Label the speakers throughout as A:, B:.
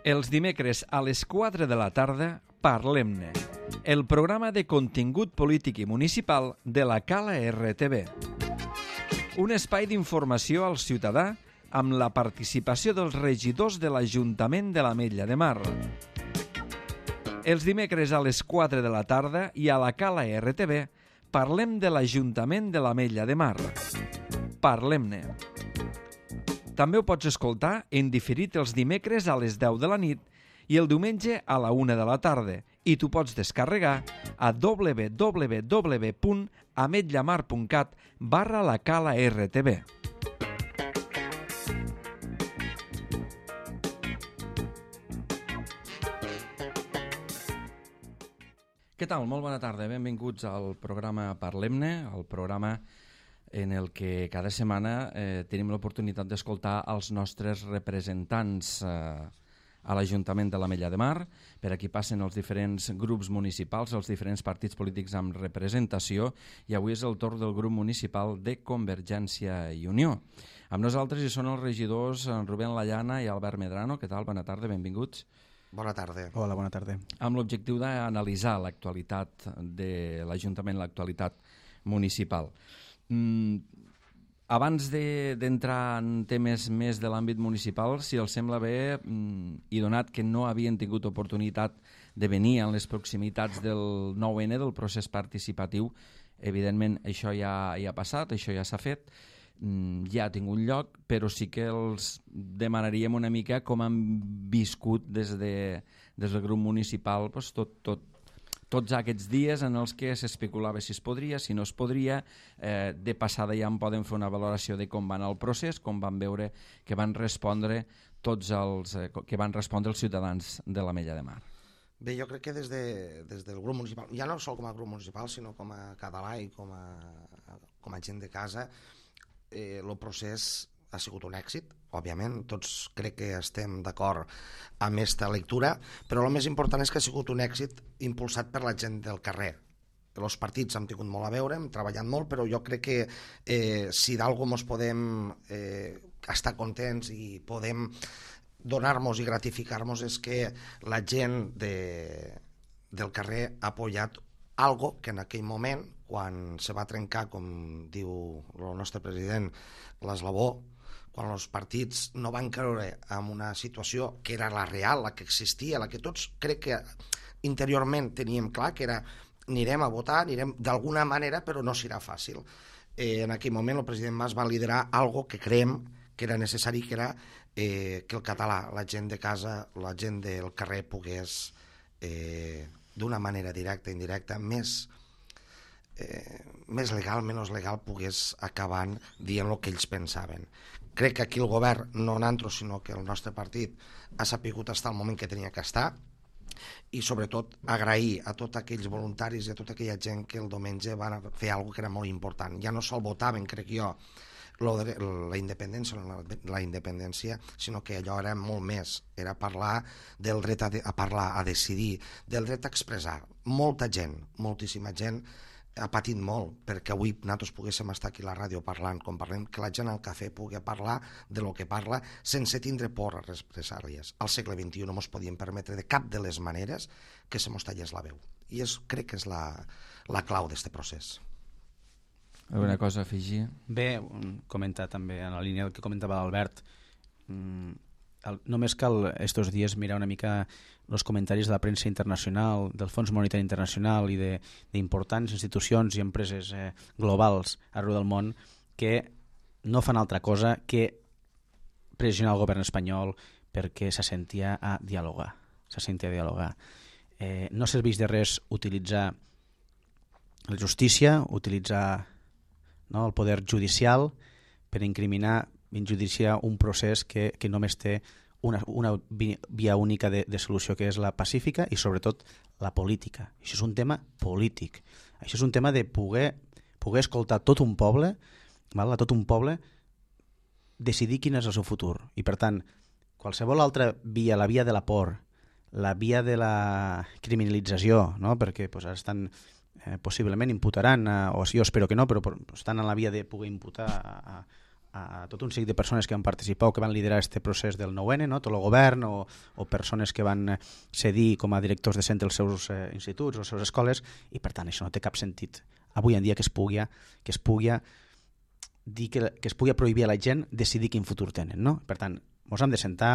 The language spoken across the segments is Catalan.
A: Els dimecres a les 4 de la tarda, Parlem-ne, el programa de contingut polític i municipal de la Cala RTV. Un espai d'informació al ciutadà amb la participació dels regidors de l'Ajuntament de l'Ametlla de Mar. Els dimecres a les 4 de la tarda i a la Cala RTV parlem de l'Ajuntament de l'Ametlla de Mar. Parlem-ne. També ho pots escoltar en diferit els dimecres a les 10 de la nit i el diumenge a la 1 de la tarda i t'ho pots descarregar a www.ametllamar.cat/la Cala RTV. Què tal? Molt bona tarda. Benvinguts al programa Parlem-ne, el programa en el que cada setmana tenim l'oportunitat d'escoltar els nostres representants a l'Ajuntament de l'Ametlla de Mar. Per aquí passen els diferents grups municipals, els diferents partits polítics amb representació, i avui és el torn del grup municipal de Convergència i Unió. Amb nosaltres hi són els regidors Rubén Llana i Albert Medrano. Què tal? Bona tarda, benvinguts.
B: Bona tarda.
C: Hola, bona tarda.
A: Amb l'objectiu d'analitzar l'actualitat de l'Ajuntament, l'actualitat municipal. Abans d'entrar en temes més de l'àmbit municipal, si els sembla bé, i donat que no havien tingut oportunitat de venir en les proximitats del 9N, del procés participatiu, evidentment això ja ha passat, això ja s'ha fet, ja ha tingut lloc, però sí que els demanaríem una mica com han viscut des del grup municipal tots aquests dies en els que s'especulava si es podria, si no es podria. De passada ja en poden fer una valoració de com va anar el procés, com van veure que van respondre els ciutadans de l'Ametlla de Mar.
B: Bé, jo crec que des del grup municipal, ja no sol com a grup municipal, sinó com a català i com a gent de casa, el procés ha sigut un èxit, òbviament, tots crec que estem d'acord amb aquesta lectura, però el més important és que ha sigut un èxit impulsat per la gent del carrer. Els partits hem tingut molt a veure, hem treballat molt, però jo crec que si d'alguna cosa podem estar contents i podem donar-nos i gratificar-nos és que la gent del carrer ha apoyat algo que en aquell moment, quan se va trencar, com diu el nostre president, l'eslabó, quan els partits no van creure en una situació que era la real, la que existia, la que tots crec que interiorment teníem clar, que era anirem a votar, anirem d'alguna manera, però no serà fàcil. En aquell moment el president Mas va liderar algo que creiem que era necessari, que era que el català, la gent de casa, la gent del carrer pogués d'una manera directa, indirecta, més legal, menys legal, pogués acabar dient el que ells pensaven. Crec que aquí el govern, no nosaltres, sinó que el nostre partit ha sapigut estar al moment que tenia que estar, i sobretot agrair a tots aquells voluntaris i a tota aquella gent que el diumenge van fer alguna cosa que era molt important. Ja no sol votaven, crec jo, la independència, sinó que allò era molt més, era parlar del dret a parlar, a decidir, del dret a expressar. Molta gent, moltíssima gent ha patit molt perquè avui nosaltres poguéssim estar aquí a la ràdio parlant, com parlem, que la gent al cafè pugui parlar de lo que parla sense tindre por a represàlies. Al segle XXI no ens podíem permetre de cap de les maneres que se mos tallés la veu. I crec que és la clau d'aquest procés.
A: Alguna cosa a afegir?
C: Bé, comentar també en la línia del que comentava l'Albert, només cal estos dies mirar una mica els comentaris de la premsa internacional, del Fons Monetari Internacional i d'importants institucions i empreses globals arreu del món que no fan altra cosa que pressionar el govern espanyol perquè s'assentia a dialogar. No serveix de res utilitzar la justícia, utilitzar el poder judicial per injudiciar un procés que només té una via única de solució, que és la pacífica i sobretot la política. Això és un tema polític. Això és un tema de poder escoltar tot un poble, a tot un poble, decidir quin és el seu futur. I per tant, qualsevol altra via, la via de la por, la via de la criminalització, perquè ara estan possiblement imputaran, o jo espero que no, però estan en la via de poder imputar a tot un seguit de persones que van participar o que van liderar aquest procés del 9N, no? Tot el govern o persones que van cedir com a directors de centre els seus instituts o les seves escoles, i per tant això no té cap sentit avui en dia que es pugui dir que es pugui prohibir a la gent decidir quin futur tenen, no? Per tant, mos han de sentar,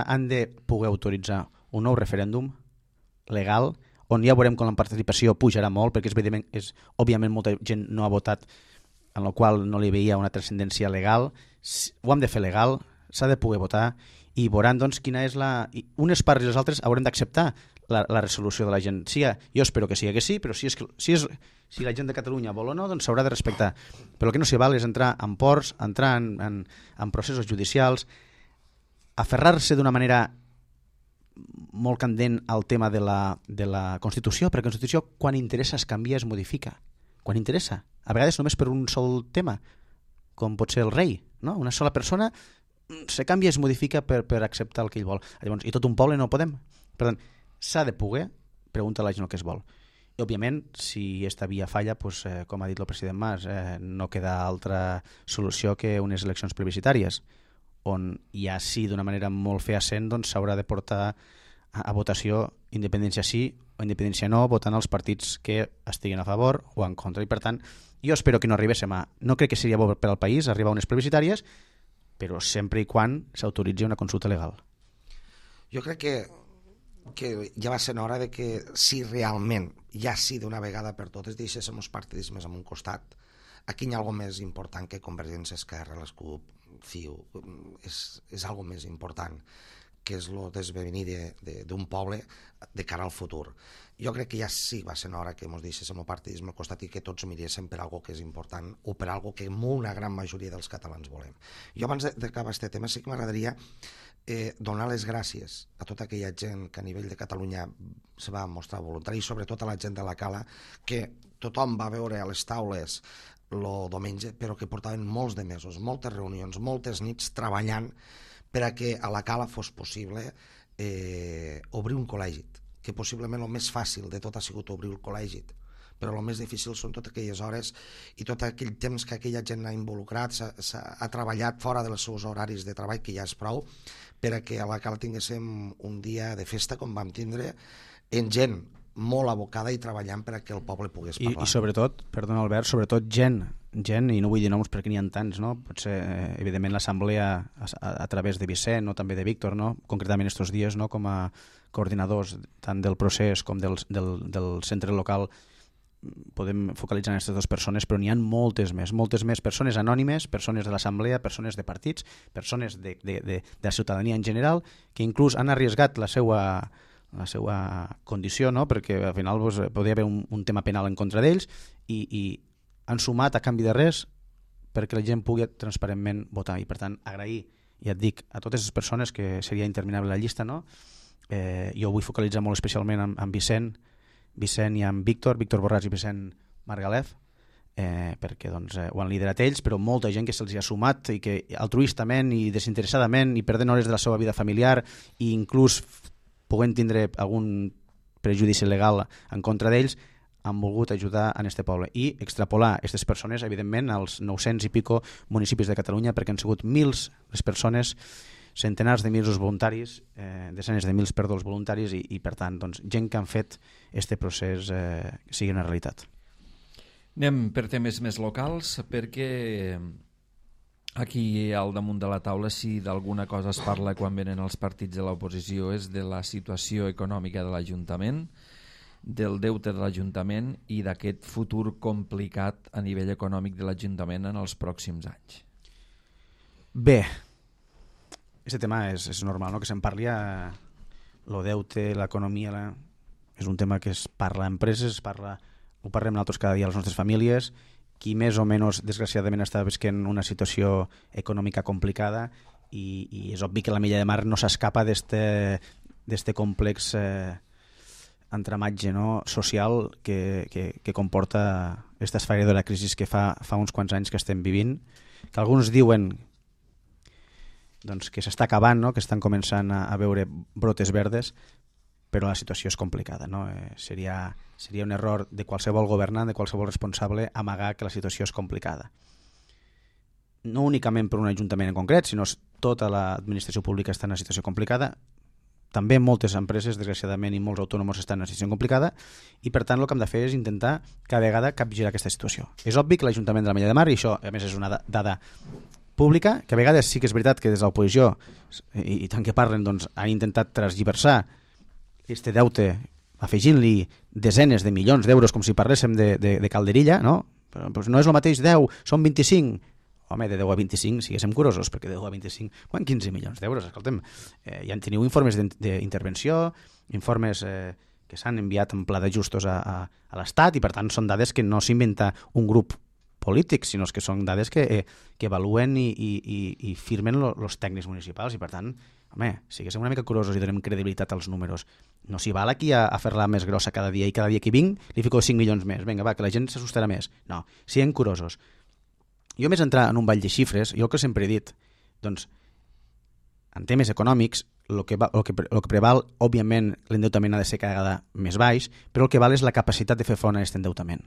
C: han de poder autoritzar un nou referèndum legal, on ja veurem com la participació pujarà molt, perquè òbviament molta gent no ha votat, en la qual no li veia una transcendència legal. Ho hem de fer legal, s'ha de poder votar, i veuran doncs, quina és unes parts i les altres haurem d'acceptar la resolució de la gent. Jo espero que sigui que sí, però si la gent de Catalunya vol o no, doncs s'haurà de respectar. Però el que no s'hi val és entrar en ports, entrar en processos judicials, aferrar-se d'una manera molt candent al tema de la Constitució, perquè la Constitució quan interessa es canvia, es modifica. Quan interessa. A vegades només per un sol tema, com pot ser el rei, no? Una sola persona se canvia i es modifica per acceptar el que ell vol. Llavors, i tot un poble no podem. Per tant, s'ha de poder preguntar a la gent el que es vol. I, òbviament, si aquesta via falla, doncs, com ha dit el president Mas, no queda altra solució que unes eleccions plebiscitàries, on ja sí, d'una manera molt fehaent, doncs s'haurà de portar a votació independència sí o independència no, votant els partits que estiguin a favor o en contra. I per tant, jo espero que no arribéssim no crec que seria bo per al país arribar a unes plebiscitàries, però sempre i quan s'autoritzi una consulta legal.
B: Jo crec que ja va ser hora de que si realment, ja sí d'una vegada per totes, deixéssim els partidismes en un costat, aquí hi ha alguna més important que Convergència, Esquerra, les CUP, CiU, és alguna més important, que és el desvenir d'un poble de cara al futur. Jo crec que ja sí va ser hora que ens deixéssim el partidisme al costat i que tots miréssim per algo que és important o per algo que una gran majoria dels catalans volem. Jo abans d'acabar aquest tema sí que m'agradaria donar les gràcies a tota aquella gent que a nivell de Catalunya se va mostrar voluntari, i sobretot a la gent de la Cala, que tothom va veure a les taules el diumenge, però que portaven molts de mesos, moltes reunions, moltes nits treballant per a que a la Cala fos possible obrir un col·legi, que possiblement el més fàcil de tot ha sigut obrir el col·legi, però el més difícil són totes aquelles hores i tot aquell temps que aquella gent ha involucrat, ha treballat fora dels seus horaris de treball, que ja és prou, per a que a la Cala tinguéssim un dia de festa com vam tindre, en gent molt abocada i treballant per a que el poble pogués parlar.
C: I sobretot, perdona Albert, sobretot gent, i no vull dir noms perquè n'hi ha tants, no? Potser, evidentment, l'assemblea a través de Vicent o també de Víctor, no? Concretament estos dies, no? Com a coordinadors tant del procés com del centre local, podem focalitzar en aquestes dues persones, però n'hi ha moltes més persones anònimes, persones de l'assemblea, persones de partits, persones de la ciutadania en general, que inclús han arriesgat la seva condició, no? Perquè al final podria haver un tema penal en contra d'ells i han sumat a canvi de res perquè la gent pugui transparentment votar. I per tant, agrair, ja et dic, a totes les persones, que seria interminable la llista, no? Jo vull focalitzar molt especialment en Vicent i en Víctor Borràs i Vicent Margalef, perquè doncs, ho han liderat ells, però molta gent que se'ls ha sumat i que altruistament i desinteressadament i perdent hores de la seva vida familiar i inclús podent tindre algun prejudici legal en contra d'ells, han volgut ajudar en este poble i extrapolar aquestes persones, evidentment, als 900 i pico municipis de Catalunya, perquè han sigut mils les persones, centenars de mils els voluntaris, desenes de mils, perdó, els voluntaris i per tant, doncs, gent que han fet este procés sigui una realitat.
A: Anem per temes més locals, perquè aquí al damunt de la taula, si d'alguna cosa es parla quan venen els partits de l'oposició, és de la situació econòmica de l'Ajuntament, del deute de l'Ajuntament i d'aquest futur complicat a nivell econòmic de l'Ajuntament en els pròxims anys.
C: Bé, aquest tema és normal, no? Que se'n parli el deute, l'economia, és un tema que es parla a empreses, ho parlem nosaltres cada dia a les nostres famílies, qui més o menys, desgraciadament, està visquent una situació econòmica complicada i és obvi que la Milla de Mar no s'escapa d'este complex entramatge, no? Social que comporta aquesta esfereïdora crisi que fa uns quants anys que estem vivint, que alguns diuen doncs, que s'està acabant, no? Que estan començant a veure brotes verdes, però la situació és complicada, no? Seria un error de qualsevol governant, de qualsevol responsable, amagar que la situació és complicada. no únicament per un ajuntament en concret, sinó tota l'administració pública està en una situació complicada. També moltes empreses, desgraciadament, i molts autònoms estan en una situació complicada, i per tant el que hem de fer és intentar cada vegada capgirar aquesta situació. És obvi que l'Ajuntament de l'Ametlla de Mar, i això a més és una dada pública, que a vegades sí que és veritat que des de l'oposició, i tant que parlen, doncs, han intentat transgiversar aquest deute afegint-li desenes de milions d'euros com si parléssim de calderilla, no? Però doncs no és el mateix 10, són 25. Home, de 10 a 25 siguéssim curosos, perquè de 10 a 25, 15 milions d'euros, escolta'm, ja en teniu informes d'intervenció, informes que s'han enviat en pla d'ajustos a l'Estat, i per tant són dades que no s'inventa un grup polític, sinó que són dades que evaluen i firmen els tècnics municipals, i per tant, home, siguéssim una mica curosos i donem credibilitat als números. No s'hi val aquí a fer-la més grossa cada dia, i cada dia que vinc li fico 5 milions més, vinga, va, que la gent s'assustarà més. No, siguem curosos. Jo més entrar en un ball de xifres, jo el que sempre he dit, doncs, en temes econòmics, el que preval, òbviament, l'endeutament ha de ser cada vegada més baix, però el que val és la capacitat de fer front a aquest endeutament.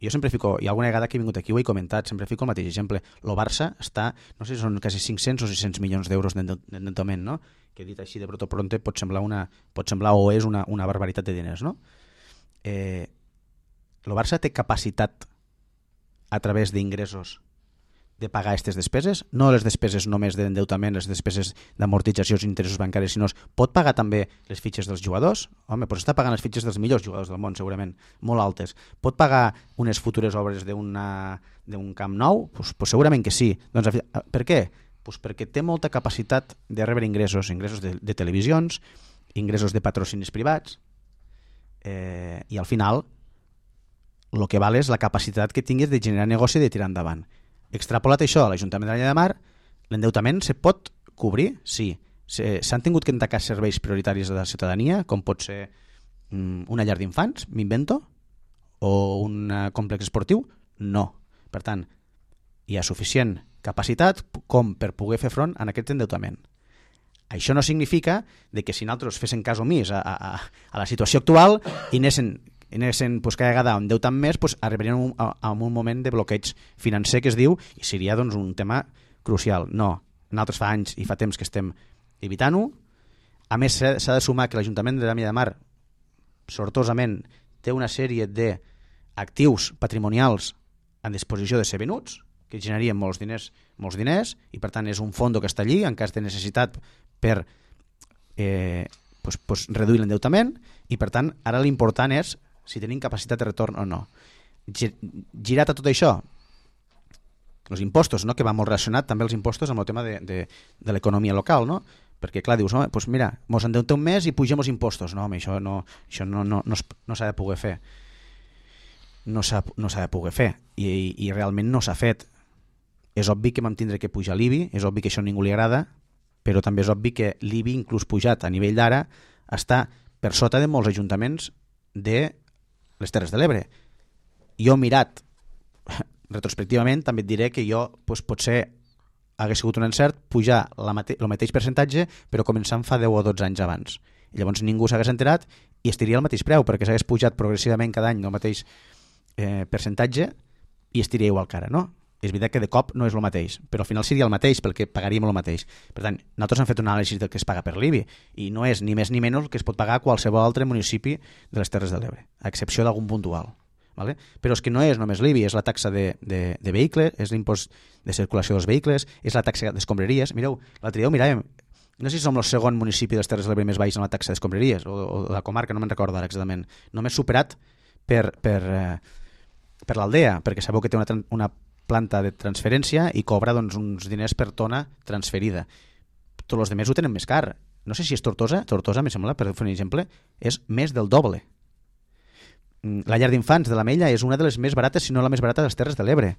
C: Jo sempre fico, i alguna vegada que he vingut aquí ho he comentat, sempre fico el mateix exemple. El Barça està, no sé si són quasi 500 o 600 milions d'euros d'endeutament, no? Que dit així de broto-pronte pot semblar o és una barbaritat de diners, no? El Barça té capacitat a través d'ingressos de pagar aquestes despeses, no les despeses només d'endeutament, les despeses d'amortitzacions i interessos bancaris, sinó pot pagar també les fitxes dels jugadors. Home, doncs està pagant les fitxes dels millors jugadors del món, segurament, molt altes. Pot pagar unes futures obres d'un camp nou? Pues segurament que sí. Doncs, per què? Pues perquè té molta capacitat de rebre ingressos de televisions, ingressos de patrocinis privats, i al final el que val és la capacitat que tinguis de generar negoci i de tirar endavant. Extrapolat això a l'Ajuntament de l'Ametlla de Mar, l'endeutament se pot cobrir? Sí. S'han tingut que tancar serveis prioritaris de la ciutadania, com pot ser una llar d'infants, m'invento, o un complex esportiu? No. Per tant, hi ha suficient capacitat com per poder fer front a aquest endeutament. Això no significa que si nosaltres fessin cas omís a la situació actual i anessin pues, cada vegada endeutant més, pues, arribaríem a un moment de bloqueig financer que es diu, i seria doncs, un tema crucial. No, nosaltres fa anys i fa temps que estem evitant-ho. A més, s'ha de sumar que l'Ajuntament de l'Ametlla de Mar, sortosament, té una sèrie d'actius patrimonials en disposició de ser venuts, que generarien molts diners, i per tant és un fons que està allí en cas de necessitat per reduir l'endeutament, i per tant ara l'important és si tenim capacitat de retorn o no. Girat a tot això, els impostos, no? Que va molt relacionat també els impostos amb el tema de l'economia local, no? Perquè clar, dius, home, doncs mira, mos endeutem més i pugem els impostos. No, home, això no s'ha de poder fer. No s'ha de poder fer, i realment no s'ha fet. És obvi que vam tindre que pujar l'IBI, és obvi que això a ningú li agrada, però també és obvi que l'IBI, inclús pujat a nivell d'ara, està per sota de molts ajuntaments de les Terres de l'Ebre. Jo mirat retrospectivament també et diré que jo potser hagués sigut un encert pujar el mateix percentatge però començant fa 10 o 12 anys abans. I llavors ningú s'hagués enterat i estiria al mateix preu perquè s'hagués pujat progressivament cada any el mateix percentatge i estiria igual que ara, no? És veritat que de cop no és el mateix, però al final seria el mateix perquè pagaríem el mateix. Per tant, nosaltres hem fet una anàlisi del que es paga per l'IBI i no és ni més ni menys el que es pot pagar a qualsevol altre municipi de les Terres de l'Ebre, a excepció d'algun puntual. Vale? Però és que no és només l'IBI, és la taxa de vehicles, és l'impost de circulació dels vehicles, és la taxa d'escombraries. Mireu, l'altre dia ho miràvem, no sé si som el segon municipi de les Terres de l'Ebre més baix en la taxa d'escombraries, o de la comarca, no me'n recordo ara exactament, només superat per l'Aldea, perquè sabeu que té una planta de transferència i cobra doncs, uns diners per tona transferida. Tots els altres ho tenen més car. No sé si és Tortosa, me sembla, per fer un exemple, és més del doble. La llar d'infants de l'Ametlla és una de les més barates, si no la més barata de les Terres de l'Ebre.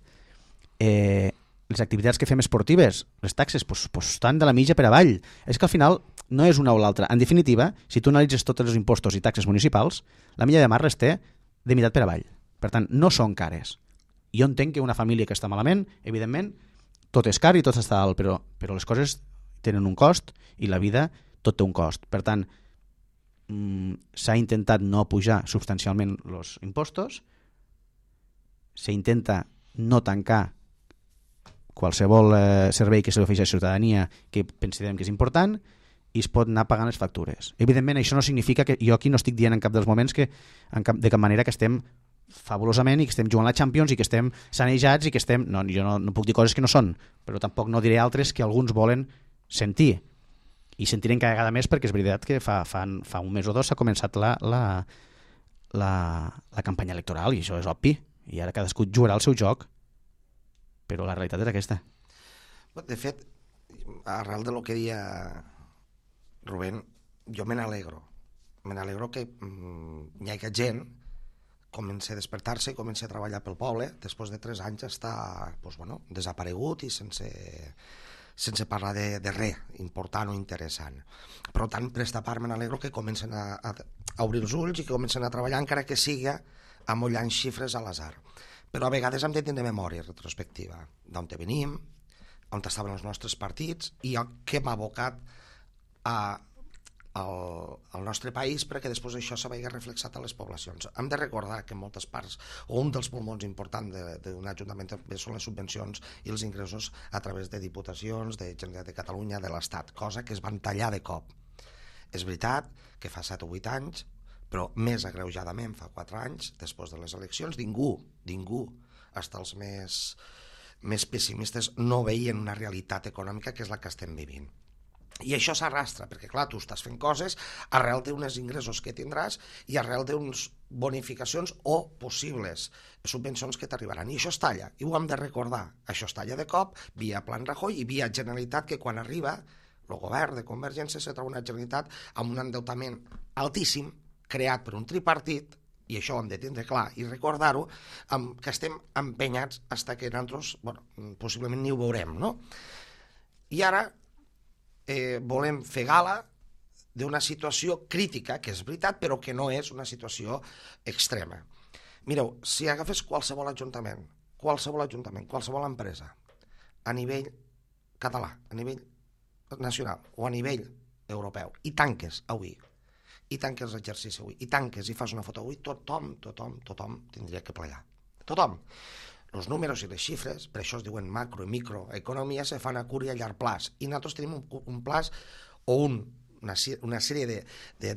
C: Les activitats que fem esportives, les taxes, estan de la mitja per avall. És que al final no és una o l'altra. En definitiva, si tu analitzes tots els impostos i taxes municipals, l'Ametlla de Mar les té de meitat per avall. Per tant, no són cares. Jo entenc que una família que està malament, evidentment, tot és car i tot està alt, però les coses tenen un cost i la vida tot té un cost. Per tant, s'ha intentat no pujar substancialment els impostos, s'intenta no tancar qualsevol servei que se li ofereix a la ciutadania que considerem que és important i es pot anar pagant les factures. Evidentment, això no significa que jo aquí no estic dient en cap dels moments que de cap manera que estem fabulosament i que estem jugant a la Champions i que estem sanejats i que estem... No, jo no puc dir coses que no són, però tampoc no diré altres que alguns volen sentir. I sentirem cada vegada més perquè és veritat que fa un mes o dos s'ha començat la campanya electoral i això és obvi. I ara cadascú jugarà el seu joc, però la realitat és aquesta.
B: De fet, arrel de lo que deia Rubén, jo me n'alegro que hi hagi gent comença a despertar-se i comença a treballar pel poble després de 3 anys està desaparegut i sense parlar de res important o interessant. Per tant, per esta part me n'alegro que comencen a obrir els ulls i que comencen a treballar encara que siga amollant xifres a l'azar. Però a vegades hem de tenir memòria retrospectiva d'on venim, on estaven els nostres partits i què m'ha abocat al nostre país perquè després això se vegi reflexat a les poblacions. Hem de recordar que en moltes parts, o un dels pulmons importants d'un ajuntament són les subvencions i els ingressos a través de diputacions, de Generalitat de Catalunya, de l'Estat, cosa que es van tallar de cop. És veritat que fa 7 o 8 anys, però més agreujadament fa 4 anys, després de les eleccions, ningú, fins els més pessimistes, no veien una realitat econòmica que és la que estem vivint. I això s'arrastra, perquè clar, tu estàs fent coses arrel d'uns ingressos que tindràs i arrel d'unes bonificacions o possibles subvencions que t'arribaran. I això es talla, i ho hem de recordar. Això es talla de cop, via Plan Rajoy i via Generalitat, que quan arriba el govern de Convergència se troba una Generalitat amb un endeutament altíssim, creat per un tripartit, i això ho hem de tindre clar i recordar-ho, que estem empenyats fins que nosaltres, possiblement ni ho veurem, no? I ara volem fer gala d'una situació crítica, que és veritat, però que no és una situació extrema. Mireu, si agafes qualsevol ajuntament, qualsevol empresa, a nivell català, a nivell nacional o a nivell europeu, i tanques avui, i tanques l'exercici avui, i tanques i fas una foto avui, tothom tindria que plegar. Tothom. Els números i les xifres, per això es diuen macro i microeconomia, se fan a curt i a llarg plaç. I nosaltres tenim un plaç o una sèrie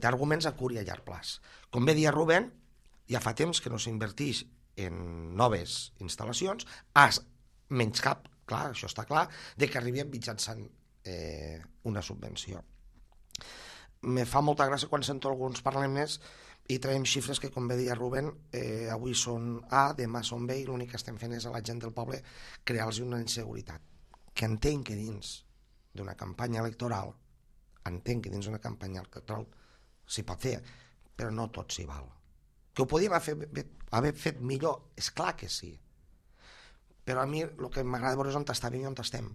B: d'arguments a curt i a llarg plaç. Com bé dia Rubén, ja fa temps que no s'inverteix en noves instal·lacions, menys cap, clar, això està clar, de que arribem mitjançant una subvenció. Me fa molta gràcia quan sento alguns parlements i traiem xifres que, com bé deia Rubén, avui són A, demà són B, i l'únic que estem fent és a la gent del poble crear-los una inseguretat. Que entenc que dins d'una campanya electoral s'hi pot fer, però no tot s'hi val. Que ho podíem haver fet millor, és clar que sí. Però a mi el que m'agrada veure és on estàvem i on estem.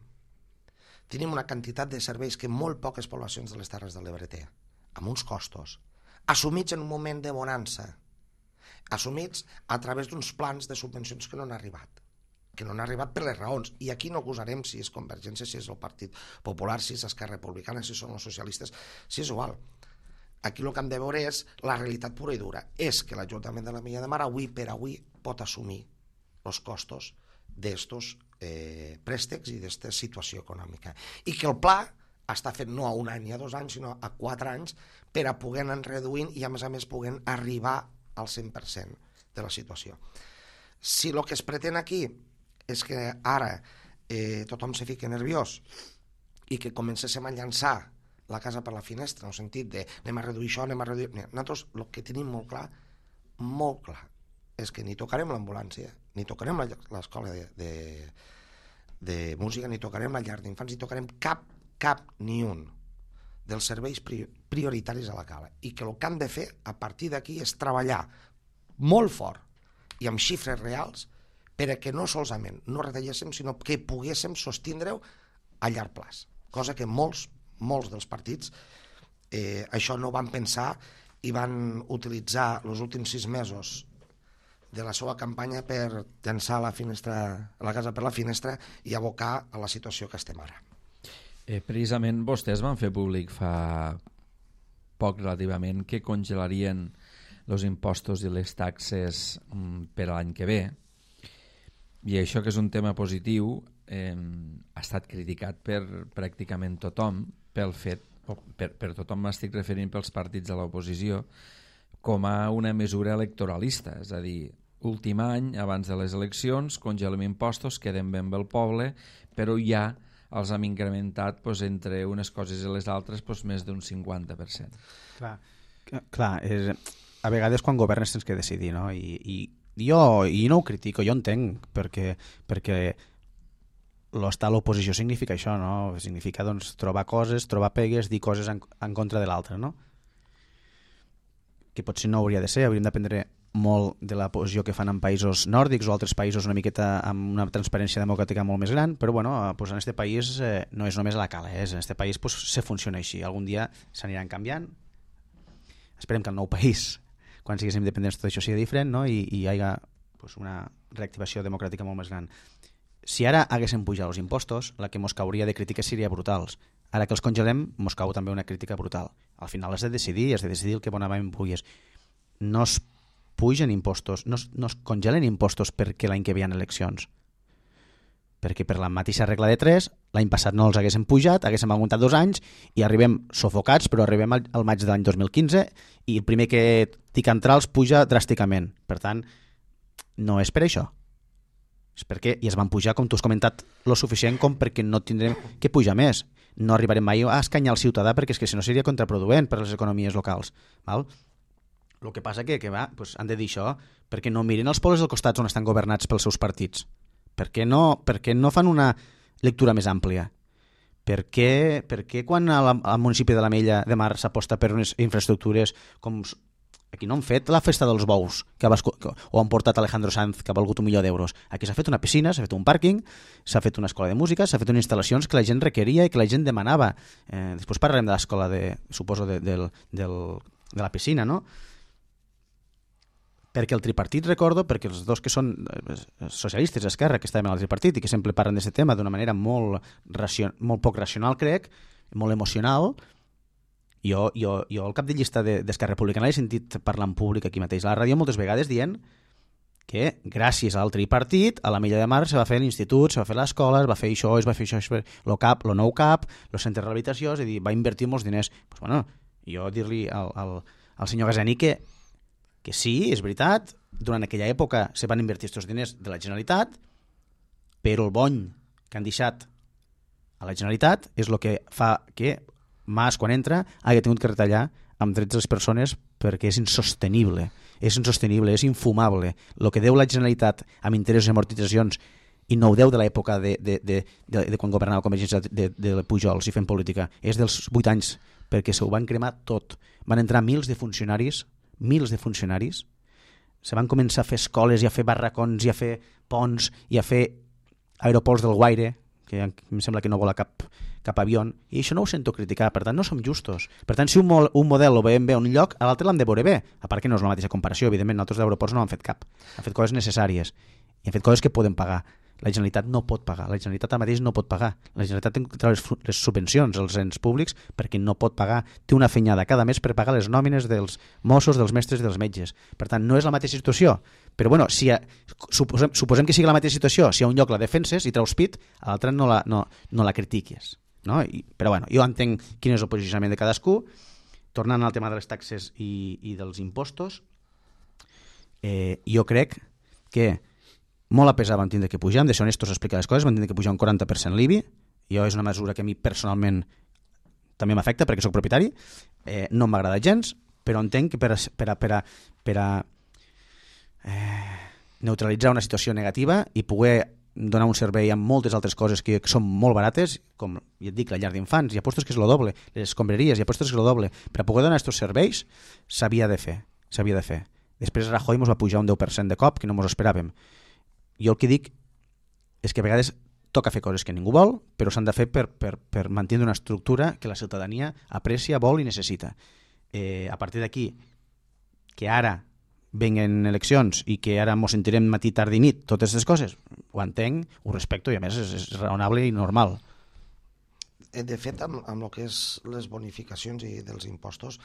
B: Tenim una quantitat de serveis que molt poques poblacions de les Terres de l'Ebre té, amb uns costos assumits en un moment de bonança, assumits a través d'uns plans de subvencions que no han arribat per les raons, i aquí no acusarem si és Convergència, si és el Partit Popular, si és Esquerra Republicana, si són els socialistes, si és igual. Aquí el que hem de veure és la realitat pura i dura, és que l'Ajuntament de l'Ametlla de Mar avui per avui pot assumir els costos d'estos préstecs i d'esta situació econòmica, i que el pla està fet no a 1 any ni a 2 anys, sinó a 4 anys, per a poder anar reduint i a més poder arribar al 100% de la situació. Si el que es pretén aquí és que ara tothom se fiqui nerviós i que comencéssim a llançar la casa per la finestra, en el sentit de anem a reduir això, anem a reduir... Nosaltres el que tenim molt clar, és que ni tocarem l'ambulància, ni tocarem l'escola de música, ni tocarem la llar d'infants, ni tocarem cap ni un dels serveis prioritaris a la cala, i que el que han de fer a partir d'aquí és treballar molt fort i amb xifres reals per a que no solament no retalléssim, sinó que poguéssim sostindre-ho a llarg plaç, cosa que molts dels partits això no van pensar i van utilitzar els últims 6 mesos de la seva campanya per llançar la casa per la finestra i abocar a la situació que estem ara.
A: Precisament vostès van fer públic fa poc relativament que congelarien els impostos i les taxes per a l'any que ve, i això que és un tema positiu ha estat criticat per pràcticament tothom pel fet, per tothom m'estic referint pels partits de l'oposició, com a una mesura electoralista, és a dir, últim any, abans de les eleccions, congelem impostos, quedem ben bé el poble, però ja els hem incrementat entre unes coses i les altres més d'un 50%.
C: Clar, a vegades quan governes tens que decidir, no? I jo no ho critico, jo entenc, perquè l'estar a l'oposició significa això, no? Significa trobar coses, trobar pegues, dir coses en contra de l'altre, no? Que potser no hauria de ser, hauríem d'aprendre molt de la posició que fan en països nòrdics o altres països una miqueta amb una transparència democràtica molt més gran, però bueno, en este país no és només a la cala, en este país se funciona així, algun dia s'aniran canviant, esperem que el nou país, quan siguéssim independents, tot això sigui diferent, no? I hi hagi una reactivació democràtica molt més gran. Si ara haguéssim pujat els impostos, la que mos cauria de crítiques seria brutals. Ara que els congelem, mos cau també una crítica brutal. Al final has de decidir el que bonament puguis. No es pugen impostos, no es congelen impostos perquè l'any que ve hi ha eleccions. Perquè per la mateixa regla de 3, l'any passat no els haguéssim pujat, haguéssim aguantat 2 anys i arribem sofocats, però arribem al maig de l'any 2015 i el primer que tic entrar els puja dràsticament. Per tant, no és per això. És perquè i es van pujar, com tu has comentat, lo suficient com perquè no tindrem que pujar més. No arribarem mai a escanyar el ciutadà perquè és que si no seria contraproduent per a les economies locals. Val? El que passa que han de dir això perquè no mirin els pobles del costat on estan governats pels seus partits. Per què no fan una lectura més àmplia? Per què quan al municipi de l'Ametlla de Mar s'aposta per unes infraestructures com... Aquí no han fet la festa dels bous o han portat Alejandro Sanz que ha valgut €1 milió. Aquí s'ha fet una piscina, s'ha fet un pàrquing, s'ha fet una escola de música, s'ha fet unes instal·lacions que la gent requeria i que la gent demanava. Després parlarem de l'escola, suposo, de la piscina, no? Perquè el tripartit, recordo, perquè els dos que són socialistes d'esquerra que estaven al tripartit i que sempre parlen d'aquest tema d'una manera molt poc racional, crec, molt emocional. Jo al cap de llista d'Esquerra Republicana l'he sentit parlar en públic aquí mateix a la ràdio moltes vegades dient que gràcies al tripartit a l'Ametlla de Mar se va fer l'institut, se va fer l'escola, es va fer això, el nou CAP, el centre de rehabilitació, és a dir, va invertir molts diners. Pues bueno, jo dir-li al senyor Gazeni que sí, és veritat, durant aquella època se van invertir aquests diners de la Generalitat, però el bony que han deixat a la Generalitat és el que fa que Mas, quan entra, hagi tingut que retallar amb drets de les persones perquè és insostenible, és infumable. El que deu la Generalitat amb interessos i amortitzacions i no ho deu de l'època de quan governava Convergència de Pujols i fent política, és dels 8 anys, perquè s'ho van cremar tot. Van entrar mils de funcionaris, se van començar a fer escoles i a fer barracons i a fer ponts i a fer aeroports del Guaire, que em sembla que no vola cap avió, i això no ho sento criticar, per tant no som justos. Per tant, si un model lo veiem bé a un lloc, a l'altre l'hem de veure bé, a part que no és la mateixa comparació, evidentment, nosaltres d'aeroports no han fet cap, han fet coses necessàries i han fet coses que poden pagar. La Generalitat no pot pagar, la Generalitat ara mateix no pot pagar, la Generalitat té que treure les subvencions als ens públics perquè no pot pagar, té una fenyada cada mes per pagar les nòmines dels Mossos, dels mestres i dels metges. Per tant, no és la mateixa situació, però bueno, suposem que sigui la mateixa situació, si a un lloc la defenses i treus pit, a l'altre no la critiques. No? Però bueno, jo entenc quin és el posicionament de cadascú. Tornant al tema de les taxes i dels impostos, jo crec que molt a pesar van tindre que pujar, hem de ser honestos a explicar les coses, van tindre que pujar un 40% l'IBI, jo és una mesura que a mi personalment també m'afecta perquè sóc propietari, no m'agrada gens, però entenc que per a neutralitzar una situació negativa i poder donar un servei amb moltes altres coses que són molt barates, com ja et dic, la llar d'infants, hi ha postos que és el doble, les escombraries, hi ha postos que és el doble, per a poder donar aquests serveis s'havia de fer. Després Rajoy ens va pujar un 10% de cop, que no ens esperàvem. Jo el que dic és que a vegades toca fer coses que ningú vol, però s'han de fer per mantenir una estructura que la ciutadania aprecia, vol i necessita. A partir d'aquí, que ara venguen eleccions i que ara ens sentirem matí, tard i nit, totes aquestes coses, ho entenc, ho respecto i a més és raonable i normal.
B: De fet, amb el que és les bonificacions i dels impostos,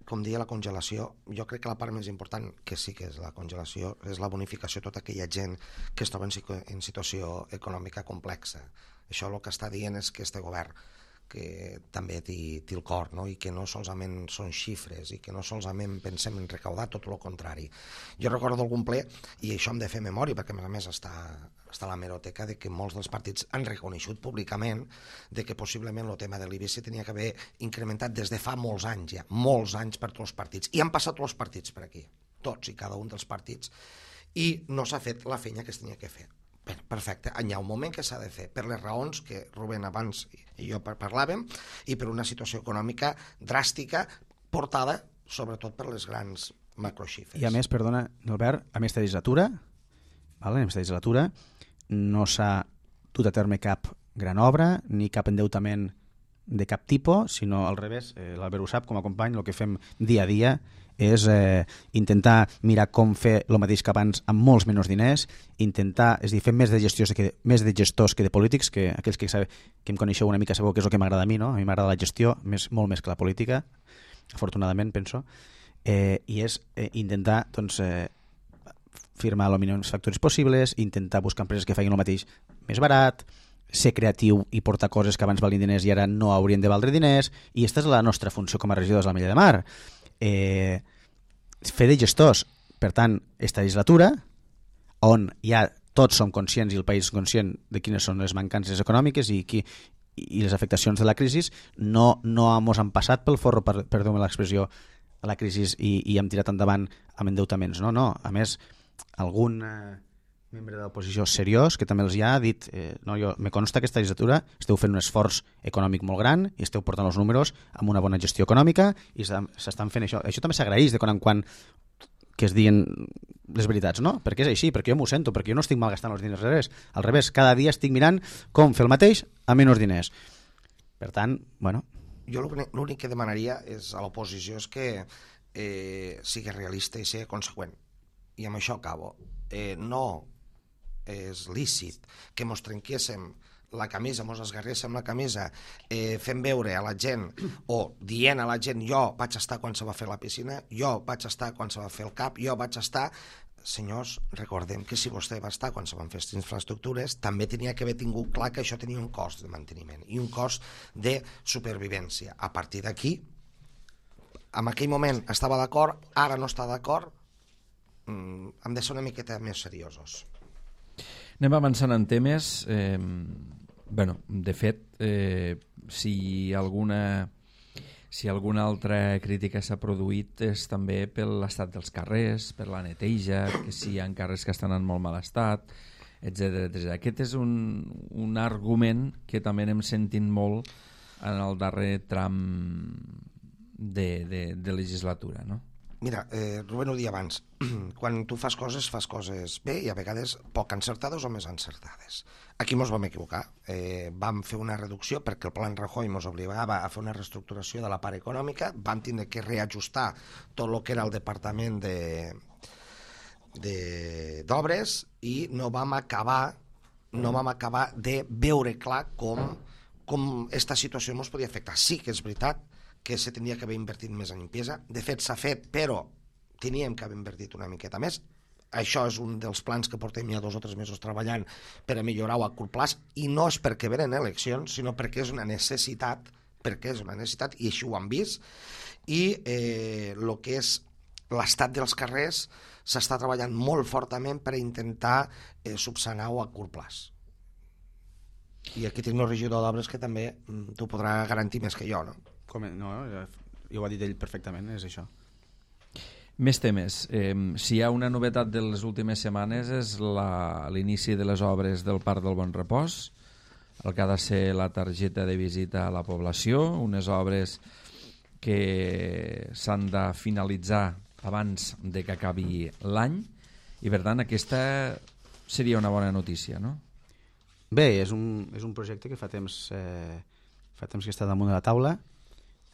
B: com deia, la congelació, jo crec que la part més important, que sí que és la congelació, és la bonificació a tota aquella gent que es troba en situació econòmica complexa. Això el que està dient és que este govern, que també té el cor, no? I que no solament són xifres i que no solament pensem en recaudar, tot el contrari. Jo recordo algun ple, i això hem de fer memòria, perquè a més està a la hemeroteca, de que molts dels partits han reconeixut públicament de que possiblement el tema de l'IBC tenia que haver incrementat des de fa molts anys ja, molts anys per tots els partits. I han passat tots els partits per aquí, tots i cada un dels partits, i no s'ha fet la feina que es tenia que fer. Perfecte, hi ha un moment que s'ha de fer per les raons que Rubén abans i jo parlàvem i per una situació econòmica dràstica portada sobretot per les grans macroxifres.
C: I a més, perdona, Albert, a més de legislatura, en aquesta legislatura no s'ha dut a terme cap gran obra ni cap endeutament de cap tipus, sinó al revés, l'Albert ho sap, com a company, el que fem dia a dia és intentar mirar com fer el mateix que abans amb molts menys diners, intentar, és a dir, fer més de gestors que de polítics, que aquells que em coneixeu una mica sabeu que és el que m'agrada a mi, no? A mi m'agrada la gestió, molt més que la política, afortunadament, penso, i és intentar doncs, firmar els mínims factors possibles, intentar buscar empreses que facin el mateix més barat, ser creatiu i portar coses que abans valien diners i ara no haurien de valdre diners, i aquesta és la nostra funció com a regidors de l'Ametlla de Mar. Fer de gestors. Per tant, esta legislatura, on ja tots som conscients i el país és conscient de quines són les mancances econòmiques i les afectacions de la crisi, no mos han passat pel forro, perdó-me l'expressió, a la crisi i hem tirat endavant amb endeutaments. No. A més, algun membre de l'oposició seriós que també els ha dit me consta que aquesta legislatura esteu fent un esforç econòmic molt gran i esteu portant els números amb una bona gestió econòmica i s'estan fent això. Això també s'agraeix de quan en quan que es diguin les veritats, no? Perquè és així, perquè jo m'ho sento, perquè jo no estic malgastant els diners al revés, cada dia estic mirant com fer el mateix amb menys diners. Per tant, bueno...
B: Jo l'únic que demanaria és a l'oposició és que sigui realista i sigui conseqüent. I amb això acabo. No és lícit que mos trenquéssim la camisa, mos esgarréssim la camisa fent veure a la gent o dient a la gent jo vaig estar quan se va fer la piscina, jo vaig estar quan se va fer el CAP, jo vaig estar... Senyors, recordem que si vostè va estar quan se van fer aquestes infraestructures també tenia que haver tingut clar que això tenia un cost de manteniment i un cost de supervivència. A partir d'aquí, en aquell moment estava d'acord, ara no està d'acord, hem de ser una miqueta més seriosos.
A: Anem avançant en temes. De fet, si alguna altra crítica s'ha produït és també per l'estat dels carrers, per la neteja, que si hi ha carrers que estan en molt mal estat, etc. Aquest és un argument que també anem sentint molt en el darrer tram de legislatura, no?
B: Mira, Rubén ho dia abans, quan tu fas coses bé i a vegades poc encertades o més encertades. Aquí mos vam equivocar, vam fer una reducció perquè el plan Rajoy mos obligava a fer una reestructuració de la part econòmica, vam tindre que reajustar tot el que era el departament d'obres i no vam acabar de veure clar com esta situació mos podia afectar. Sí que és veritat que se tenia que haver invertit més en limpiesa. De fet, s'ha fet, però teníem que haver invertit una miqueta més. Això és un dels plans que portem ja 2 o 3 mesos treballant per a millorar-ho a curt plaç, i no és perquè venen eleccions, sinó perquè és una necessitat, i així ho han vist, i el que és l'estat dels carrers s'està treballant molt fortament per intentar subsanar-ho a curt plaç. I aquí tinc el regidor d'obres que també t'ho podrà garantir més que jo, no?
C: No, jo ho ha dit ell perfectament, és això.
A: Més temes. Si hi ha una novetat de les últimes setmanes és l'inici de les obres del Parc del Bon Repòs, el que ha de ser la targeta de visita a la població, unes obres que s'han de finalitzar abans de que acabi l'any, i per tant aquesta seria una bona notícia, no?
C: Bé, és un projecte que fa temps que està damunt de la taula.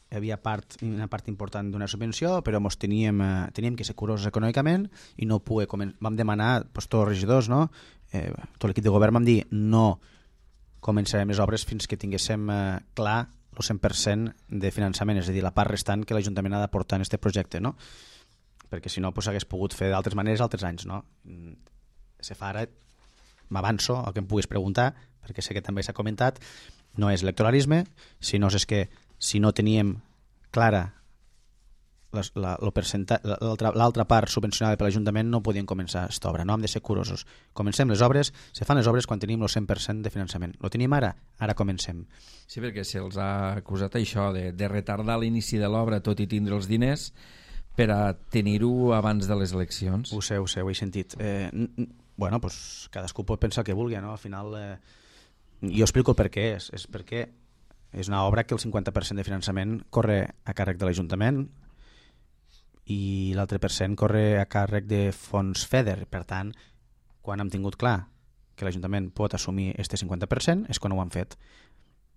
C: Hi havia una part important d'una subvenció, però teníem que ser curosos econòmicament i no vam demanar, tots els regidors, no? Tot l'equip de govern vam dir no començarem les obres fins que tinguéssim clar el 100% de finançament, és a dir, la part restant que l'Ajuntament ha d'aportar en aquest projecte, no? Perquè si no s'hagués pogut fer d'altres maneres altres anys, no? Se fa ara, m'avanço al que em puguis preguntar, perquè sé que també s'ha comentat, no és electoralisme, sinó és que si no teníem clara l'altra part subvencionada per l'Ajuntament no podien començar aquesta obra, no hem de ser curosos. Comencem les obres, se fan les obres quan tenim el 100% de finançament. Lo tenim ara? Ara comencem.
A: Sí, perquè se'ls ha acusat això de retardar l'inici de l'obra tot i tindre els diners per a tenir-ho abans de les eleccions.
C: Ho sé, ho he sentit. Bueno, pues cadascú pot pensar el que vulgui, no? Al final, jo explico el per què és perquè és una obra que el 50% de finançament corre a càrrec de l'Ajuntament i l'altre % corre a càrrec de fons FEDER. Per tant, quan hem tingut clar que l'Ajuntament pot assumir este 50% és quan ho han fet.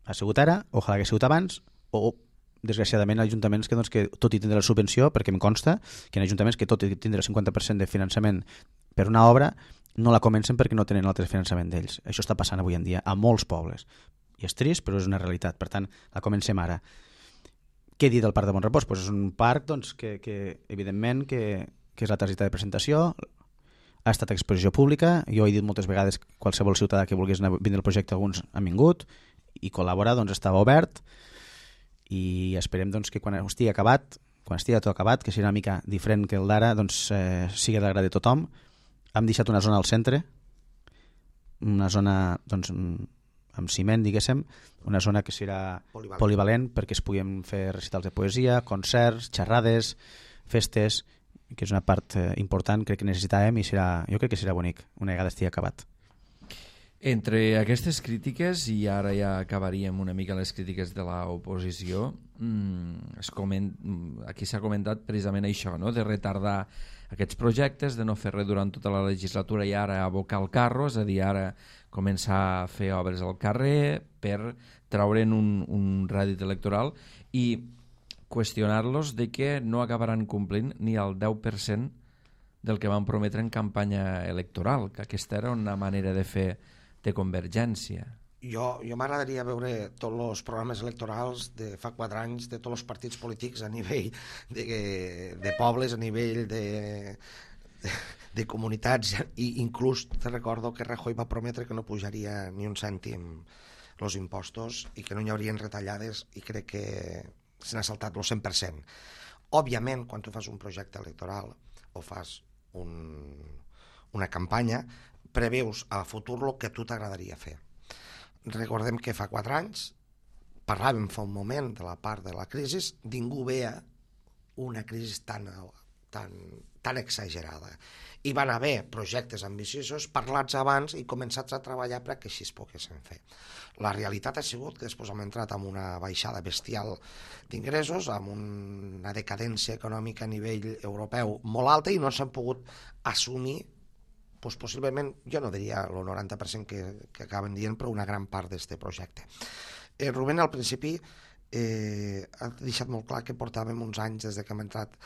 C: Ha sigut ara, ojalà hagués sigut abans, o desgraciadament ajuntaments que tot i tindre la subvenció, perquè em consta que en ajuntaments que tot i tindre el 50% de finançament per una obra no la comencen perquè no tenen l'altre finançament d'ells. Això està passant avui en dia a molts pobles. I és trist, però és una realitat. Per tant, la comencem ara. Què he dit del Parc de Bonrepòs? Pues és un parc que evidentment, que és la targeta de presentació, ha estat a exposició pública. Jo he dit moltes vegades que qualsevol ciutadà que volgués vindre al projecte, alguns han vingut, i col·laborar estava obert, i esperem que quan estigui acabat, tot acabat, que sigui una mica diferent que el d'ara, sigui de l'agrat de tothom. Hem deixat una zona al centre, una zona amb ciment, diguéssim, una zona que serà polivalent perquè es puguin fer recitals de poesia, concerts, xerrades, festes, que és una part important, crec que necessitàvem, i jo crec que serà bonic una vegada estigui acabat.
A: Entre aquestes crítiques, i ara ja acabaríem una mica les crítiques de l'oposició, aquí s'ha comentat precisament això, no? De retardar aquests projectes, de no fer res durant tota la legislatura i ara abocar el carro, és a dir, ara començar a fer obres al carrer per traure'n un rèdit electoral i qüestionar-los de que no acabaran complint ni el 10% del que van prometre en campanya electoral, que aquesta era una manera de fer de convergència.
B: Jo m'agradaria veure tots els programes electorals de fa 4 anys de tots els partits polítics a nivell de pobles, a nivell de comunitats, i inclús te recordo que Rajoy va prometre que no pujaria ni un cèntim els impostos i que no hi haurien retallades, i crec que se n'ha saltat el 100%. Òbviament, quan tu fas un projecte electoral o fas una campanya, preveus a futur el que a tu t'agradaria fer. Recordem que fa 4 anys parlàvem fa un moment de la part de la crisi, ningú veia una crisi tan exagerada. Hi van haver projectes ambiciosos parlats abans i començats a treballar perquè així es poguessin fer. La realitat ha sigut que després hem entrat en una baixada bestial d'ingressos, amb una decadència econòmica a nivell europeu molt alta, i no s'han pogut assumir, doncs possiblement, jo no diria el 90% que acaben dient, però una gran part d'aquest projecte. Rubén al principi ha deixat molt clar que portàvem uns anys des que hem entrat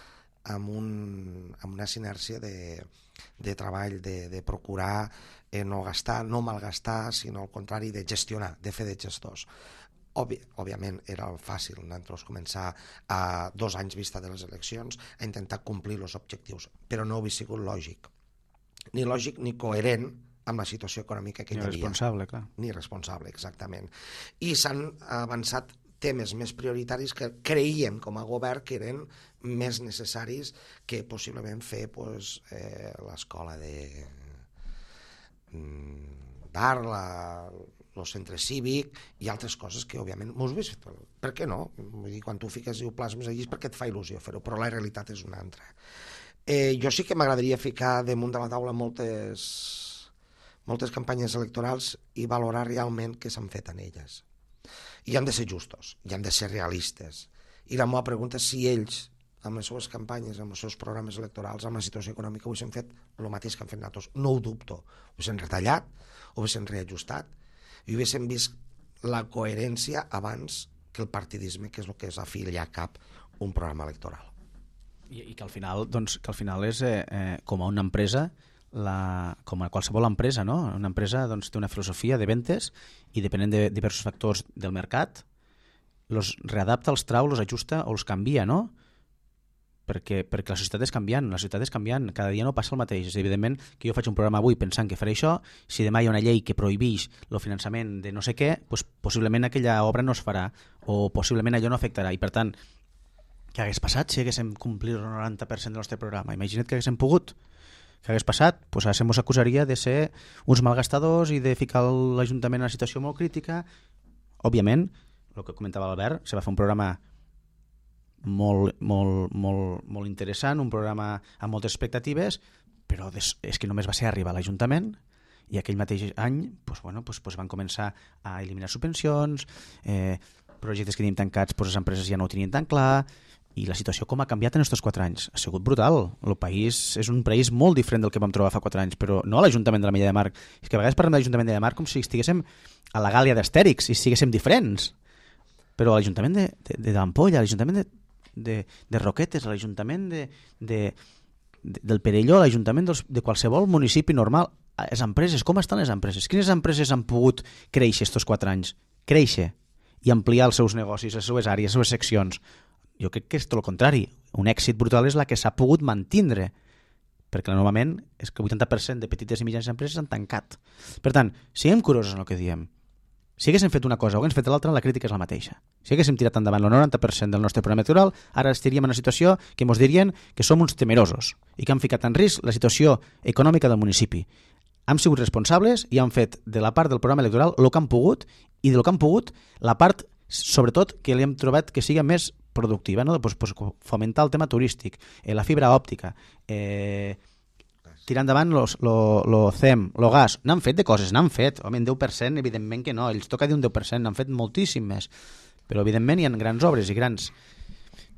B: amb una sinèrcia de treball, de procurar no gastar, no malgastar, sinó al contrari, de gestionar, de fer de gestors. Òbviament era fàcil nosaltres començar a 2 anys vista de les eleccions a intentar complir els objectius, però no hauria sigut lògic. Ni lògic ni coherent amb la situació econòmica que hi havia.
C: Ni responsable, clar.
B: Ni responsable, exactament. I s'han avançat temes més prioritaris que creiem com a govern que eren més necessaris que possiblement fer l'escola d'art, el centre cívic i altres coses que, òbviament, m'ho has vist. Per què no? Vull dir, quan tu fiques i ho plasmes allí és perquè et fa il·lusió fer-ho, però la realitat és una altra. Jo sí que m'agradaria ficar damunt de la taula moltes campanyes electorals i valorar realment què s'han fet en elles. I han de ser justos, i han de ser realistes. I la meva pregunta és si ells, amb les seves campanyes, amb els seus programes electorals, amb la situació econòmica, ho haguessin fet el mateix que han fet nosaltres. No ho dubto. Ho haguessin retallat, ho haguessin reajustat, i ho haguessin vist la coherència abans que el partidisme, que és el que és a fi i a cap un programa electoral.
C: I que al final és com a una empresa, com a qualsevol empresa, no? Una empresa té una filosofia de ventes i depenent de diversos factors del mercat els readapta, els trau, els ajusta o els canvia, no? Perquè la societat és canviant, cada dia no passa el mateix. Evidentment que jo faig un programa avui pensant que faré això, si demà hi ha una llei que prohibeix el finançament de no sé què, doncs possiblement aquella obra no es farà o possiblement allò no afectarà. I per tant, què hagués passat si haguéssim complit el 90% del nostre programa? Imagina't que haguéssim pogut. Què hagués passat? Doncs ara se mos acusaria de ser uns malgastadors i de ficar l'Ajuntament en una situació molt crítica. Òbviament, el que comentava l'Albert, se va fer un programa molt interessant, un programa amb moltes expectatives, però és que només va ser arribar a l'Ajuntament i aquell mateix any van començar a eliminar subvencions, projectes que teníem tancats, les empreses ja no ho tenien tan clar, i la situació com ha canviat en aquests 4 anys. Ha sigut brutal. El país és un país molt diferent del que vam trobar fa 4 anys, però no a l'Ajuntament de l'Ametlla de Mar. És que a vegades parlem de l'Ajuntament de Mar com si estiguéssim a la Gàlia d'Astèrix i estiguéssim diferents. Però a l'Ajuntament de l'Ampolla, a l'Ajuntament de Roquetes, a l'Ajuntament del Perelló, a l'Ajuntament de qualsevol municipi normal, les empreses, com estan les empreses? Quines empreses han pogut créixer aquests 4 anys? Créixer i ampliar els seus negocis, les seves àrees, les seves seccions. Jo crec que és tot el contrari. Un èxit brutal és la que s'ha pogut mantindre, perquè normalment és que el 80% de petites i mitjanes empreses han tancat. Per tant, siguem curosos en el que diem. Si haguéssim fet una cosa o haguéssim fet l'altra, la crítica és la mateixa. Si haguéssim tirat endavant el 90% del nostre programa electoral, ara estaríem en una situació que ens dirien que som uns temerosos i que han ficat en risc la situació econòmica del municipi. Hem sigut responsables i han fet de la part del programa electoral el que han pogut, i del que han pogut la part, sobretot, que li hem trobat que sigui més productiva, no? Pues fomentar el tema turístic, la fibra òptica, tirar endavant lo CEM, lo gas. N'han fet de coses, n'han fet. Home, en 10%, evidentment que no. Ells toca dir un 10%, n'han fet moltíssim més. Però, evidentment, hi ha grans obres i grans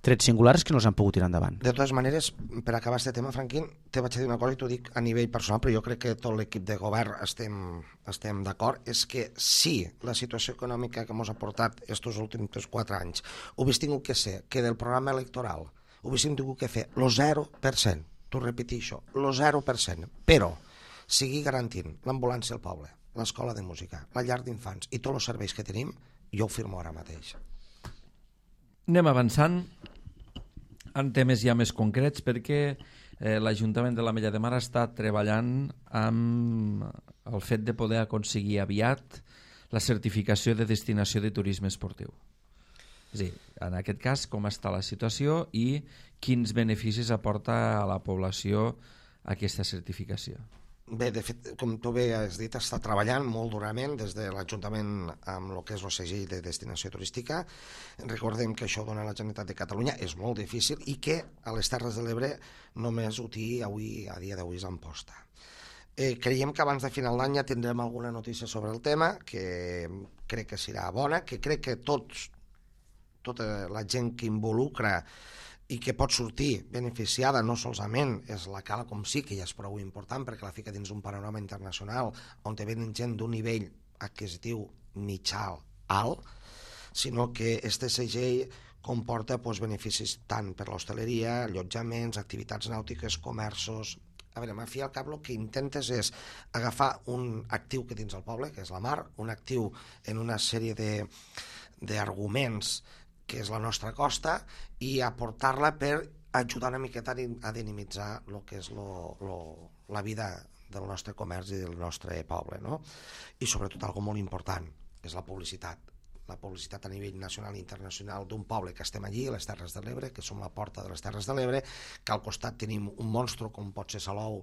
C: trets singulars que no s'han pogut tirar endavant.
B: De totes maneres, per acabar aquest tema, Franquín, te vaig a dir una cosa i t'ho dic a nivell personal, però jo crec que tot l'equip de govern estem d'acord, és que sí, la situació econòmica que ens ha portat aquests últims 4 anys ho hagués tingut que ser que del programa electoral ho haguéssim tingut que fer el 0%, t'ho repeteixo, el 0%, però sigui garantint l'ambulància al poble, l'escola de música, la llar d'infants i tots els serveis que tenim, jo ho firmo ara mateix.
A: Anem avançant en temes ja més concrets perquè l'Ajuntament de l'Ametlla de Mar està treballant amb el fet de poder aconseguir aviat la certificació de destinació de turisme esportiu. És a dir, en aquest cas, com està la situació i quins beneficis aporta a la població aquesta certificació?
B: Bé, de fet, com tu bé has dit, està treballant molt durament des de l'Ajuntament amb el que és el segell de destinació turística. Recordem que això dona a la Generalitat de Catalunya, és molt difícil i que a les Terres de l'Ebre només ho té avui, a dia d'avui, és Amposta. Creiem que abans de final d'any ja tindrem alguna notícia sobre el tema, que crec que serà bona, que crec que tota la gent que involucra i que pot sortir beneficiada no solament és la Cala com sí, que ja és prou important perquè la fica dins un panorama internacional on te venen gent d'un nivell adquisitiu mitjà alt, sinó que este segell comporta beneficis tant per l'hostaleria, allotjaments, activitats nàutiques, comerços. A veure, a fi al cap el que intentes és agafar un actiu que tens al poble, que és la mar, un actiu en una sèrie d'arguments que és la nostra costa, i aportar-la per ajudar una miqueta a dinamitzar el que és la vida del nostre comerç i del nostre poble, no? I sobretot, algo molt important, és la publicitat. La publicitat a nivell nacional i internacional d'un poble que estem allí, a les Terres de l'Ebre, que som la porta de les Terres de l'Ebre, que al costat tenim un monstru com pot ser Salou,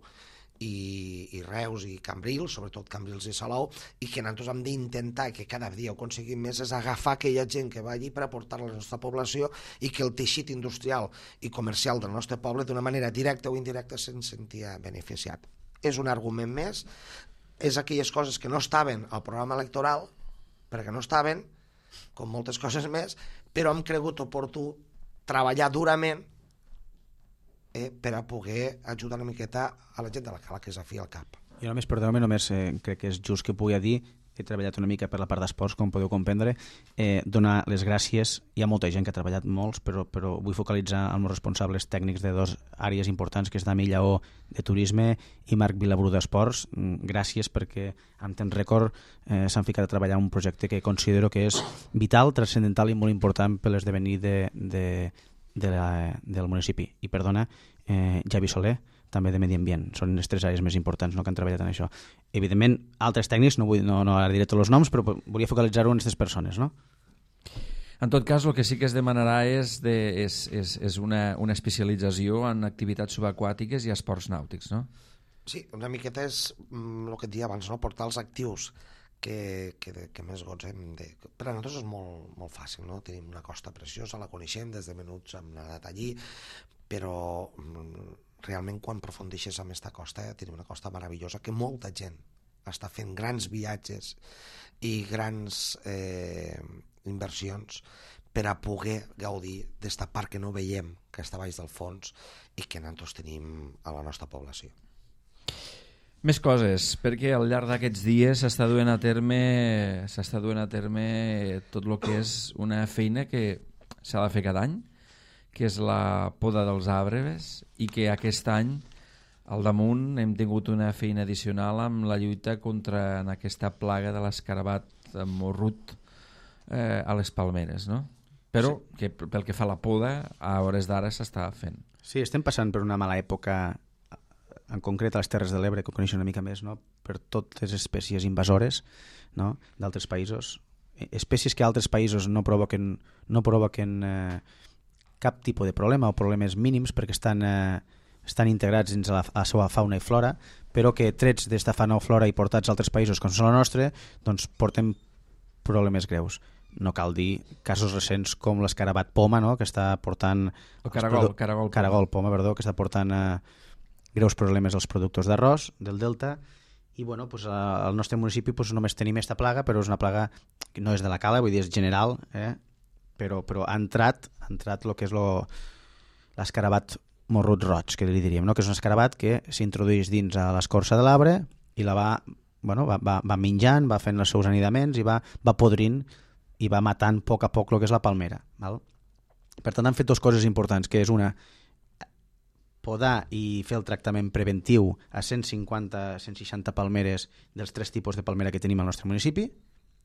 B: i Reus i Cambrils, sobretot Cambrils i Salou, i que nosaltres hem d'intentar que cada dia ho aconseguim més és agafar aquella gent que va allí per aportar a la nostra població i que el teixit industrial i comercial del nostre poble d'una manera directa o indirecta se'n sentia beneficiat. És un argument més, és aquelles coses que no estaven al programa electoral, perquè no estaven, com moltes coses més, però hem cregut oportú treballar durament per a poder ajudar una miqueta a la gent de la Cala, que és a fi al cap.
C: Jo només, perdoneu-me, només crec que és just que pugui dir he treballat una mica per la part d'esports, com podeu comprendre, donar les gràcies. Hi ha molta gent que ha treballat molts, però vull focalitzar els meus responsables tècnics de dues àrees importants, que és Dami Lleó, de turisme, i Marc Vilabrú, d'esports. Gràcies perquè en temps rècord s'han ficat a treballar un projecte que considero que és vital, transcendental i molt important per l'esdevenir del municipi. I perdona, Javi Soler, també de Medi Ambient. Són les 3 àrees més importants, no?, que han treballat en això. Evidentment, altres tècnics, no ara diré tots els noms, però volia focalitzar-ho en aquestes persones, no?
A: En tot cas, el que sí que es demanarà és una especialització en activitats subaquàtiques i esports nàutics, no?
B: Sí, una miqueta és el que et deia abans, no? Portar els actius que més gotzem. Per a nosaltres és molt, molt fàcil, no? Tenim una costa preciosa, la coneixem, des de menuts hem anat allí, però realment quan aprofundeixes en aquesta costa tenim una costa meravellosa que molta gent està fent grans viatges i grans inversions per a poder gaudir d'esta part que no veiem, que està baix del fons i que nosaltres tenim a la nostra població.
A: Més coses, perquè al llarg d'aquests dies s'està duent a terme tot el que és una feina que s'ha de fer cada any, que és la poda dels arbres, i que aquest any al damunt hem tingut una feina addicional amb la lluita contra aquesta plaga de l'escarabat morrut a les palmeres, no? Però sí, que pel que fa a la poda, a hores d'ara s'està fent.
C: Sí, estem passant per una mala època, en concret a les Terres de l'Ebre, que ho coneixen una mica més, no?, per totes les espècies invasores, no?, d'altres països. Espècies que altres països no provoquen cap tipus de problema o problemes mínims perquè estan integrats dins la seva fauna i flora, però que trets d'esta fauna o flora i portats a altres països com són la nostra, doncs porten problemes greus. No cal dir casos recents com l'escarabat poma, no?, que està portant... Caragol poma, perdó, que està portant greus problemes als productors d'arròs del delta. I bueno, pues, al nostre municipi pues, només tenim aquesta plaga, però és una plaga que no és de la cala, vull dir, és general, però ha entrat el que és l'escarabat morrut roig, que li diríem, no?, que és un escarabat que s'introdueix dins a l'escorça de l'arbre i la va menjant, va fent els seus anidaments i va podrint i va matant a poc el que és la palmera. Val? Per tant, han fet 2 coses importants, que és una, podar i fer el tractament preventiu a 150-160 palmeres dels 3 tipus de palmera que tenim al nostre municipi.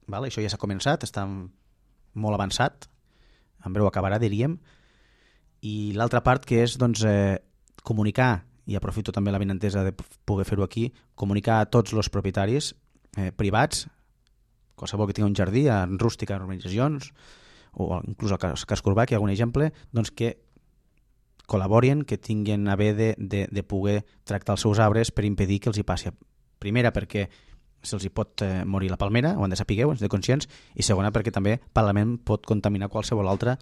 C: Val? Això ja s'ha començat, està molt avançat, en breu acabarà, diríem. I l'altra part, que és doncs, comunicar, i aprofito també la benentesa de poder fer-ho aquí, comunicar a tots els propietaris privats, qualsevol que tingui un jardí, en rústica, en urbanitzacions, o inclús al casc urbà, que hi ha algun exemple, doncs que col·laborin, que tinguin a bé de poder tractar els seus arbres per impedir que els hi passi. Primera, perquè se'ls hi pot morir la palmera, ho han de saber, ho han de ser conscients, i segona, perquè també el Parlament pot contaminar qualsevol altre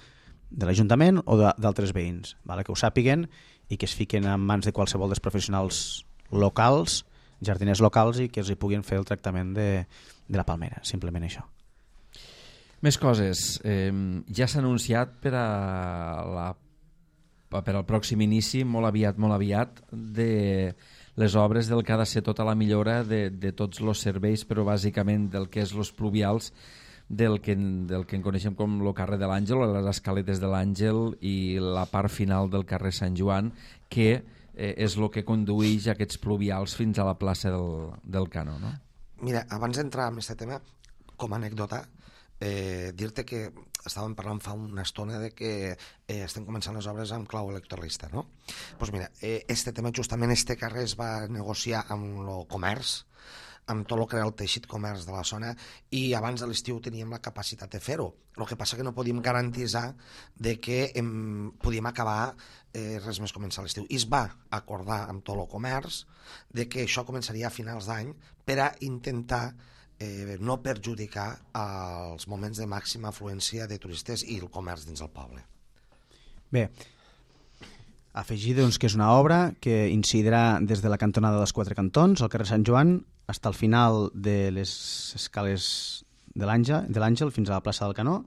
C: de l'Ajuntament o d'altres veïns, vale? Que ho sàpiguen i que es fiquen en mans de qualsevol dels professionals locals, jardiners locals, i que els hi puguin fer el tractament de la palmera, simplement això.
A: Més coses. Ja s'ha anunciat per al pròxim inici, molt aviat, de les obres del que ha de ser tota la millora de tots els serveis, però bàsicament del que és els pluvials, del que en coneixem com el carrer de l'Àngel, o les escaletes de l'Àngel, i la part final del carrer Sant Joan, que és el que condueix aquests pluvials fins a la plaça del Canó, no?
B: Mira, abans d'entrar en aquest tema, com a anècdota, dir-te que estàvem parlant fa una estona de que estem començant les obres amb clau electoralista, no? Doncs mira, este tema, justament este carrer es va negociar amb el comerç, amb tot el que era el teixit comerç de la zona, i abans de l'estiu teníem la capacitat de fer-ho. El que passa que no podíem garantitzar de que podíem acabar res més començar l'estiu. I es va acordar amb tot el comerç de que això començaria a finals d'any per a intentar no perjudicar els moments de màxima afluència de turistes i el comerç dins el poble.
C: Bé, afegir doncs, que és una obra que incidirà des de la cantonada dels 4 cantons, al carrer Sant Joan, fins al final de les escales de l'Àngel fins a la plaça del Canó.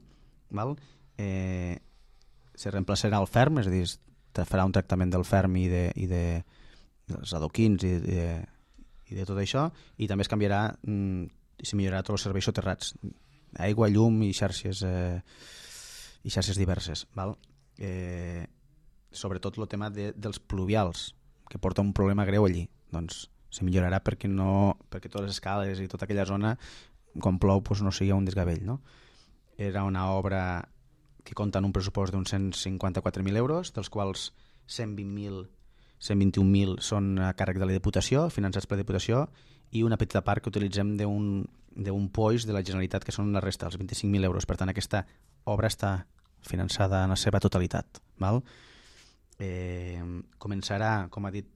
C: Val? Se reemplaçarà el ferm, és a dir, es farà un tractament del ferm i dels adoquins i de tot això, i també es canviarà se millorarà tots els serveis soterrats, aigua, llum i xarxes diverses, val? Sobretot el tema dels pluvials, que porta un problema greu allí, doncs se millorarà perquè totes les escales i tota aquella zona, quan plou, doncs no sigui un desgavell, no? Era una obra que compta en un pressupost d'uns 154.000 euros, dels quals 121.000 són a càrrec de la Diputació, finançats per la Diputació, i una petita part que utilitzem d'un POIS de la Generalitat, que són la resta, els 25.000 euros. Per tant, aquesta obra està finançada en la seva totalitat. Val? Començarà, com ha dit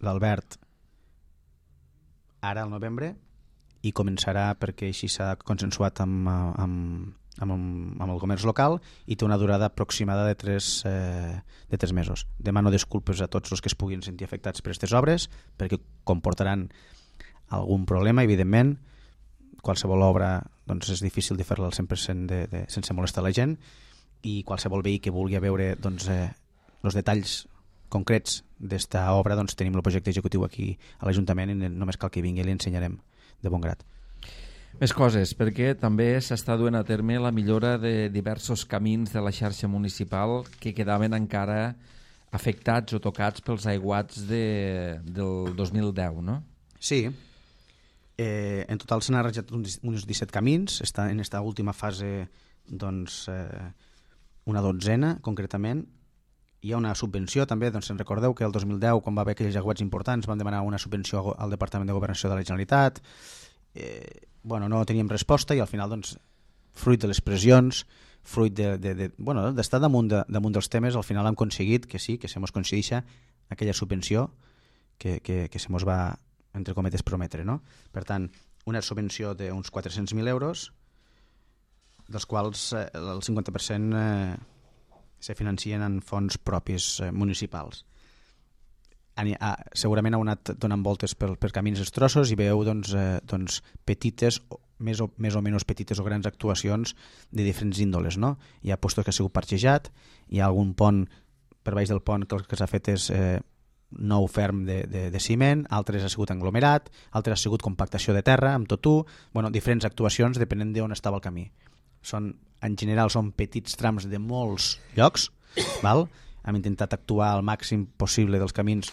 C: l'Albert, ara al novembre, i començarà perquè així s'ha consensuat amb el comerç local i té una durada aproximada de 3 mesos. Demano disculpes a tots els que es puguin sentir afectats per aquestes obres perquè comportaran algun problema, evidentment. Qualsevol obra doncs, és difícil de fer-la al 100% sense molestar la gent, i qualsevol veí que vulgui veure doncs, els detalls concrets d'esta obra, doncs, tenim el projecte executiu aquí a l'Ajuntament i només cal que vingui i li ensenyarem de bon grat.
A: Més coses, perquè també s'està duent a terme la millora de diversos camins de la xarxa municipal que quedaven encara afectats o tocats pels aiguats del 2010, no?
C: Sí. En total s'han arranjat uns 17 camins. Està en aquesta última fase doncs, una dotzena, concretament. Hi ha una subvenció també, doncs en recordeu que el 2010, quan va haver aquells aiguats importants, vam demanar una subvenció al Departament de Governació de la Generalitat. No teníem resposta i al final, doncs, fruit de les pressions, fruit d'estar damunt dels temes, al final hem aconseguit que sí, que se mos concedeixa aquella subvenció que se mos va, entre cometes, prometre, no? Per tant, una subvenció d'uns 400.000 euros, dels quals el 50% se financien en fons propis municipals. Segurament ha anat donant voltes per camins estrossos i veieu doncs, petites, més o menys petites o grans actuacions de diferents índoles, no? Hi ha postos que ha sigut parxejat, hi ha algun pont, per baix del pont que el que s'ha fet és nou ferm de ciment, altres ha sigut aglomerat, altres ha sigut compactació de terra amb totú, diferents actuacions depenent d'on estava el camí. En general són petits trams de molts llocs, val? Hem intentat actuar al màxim possible dels camins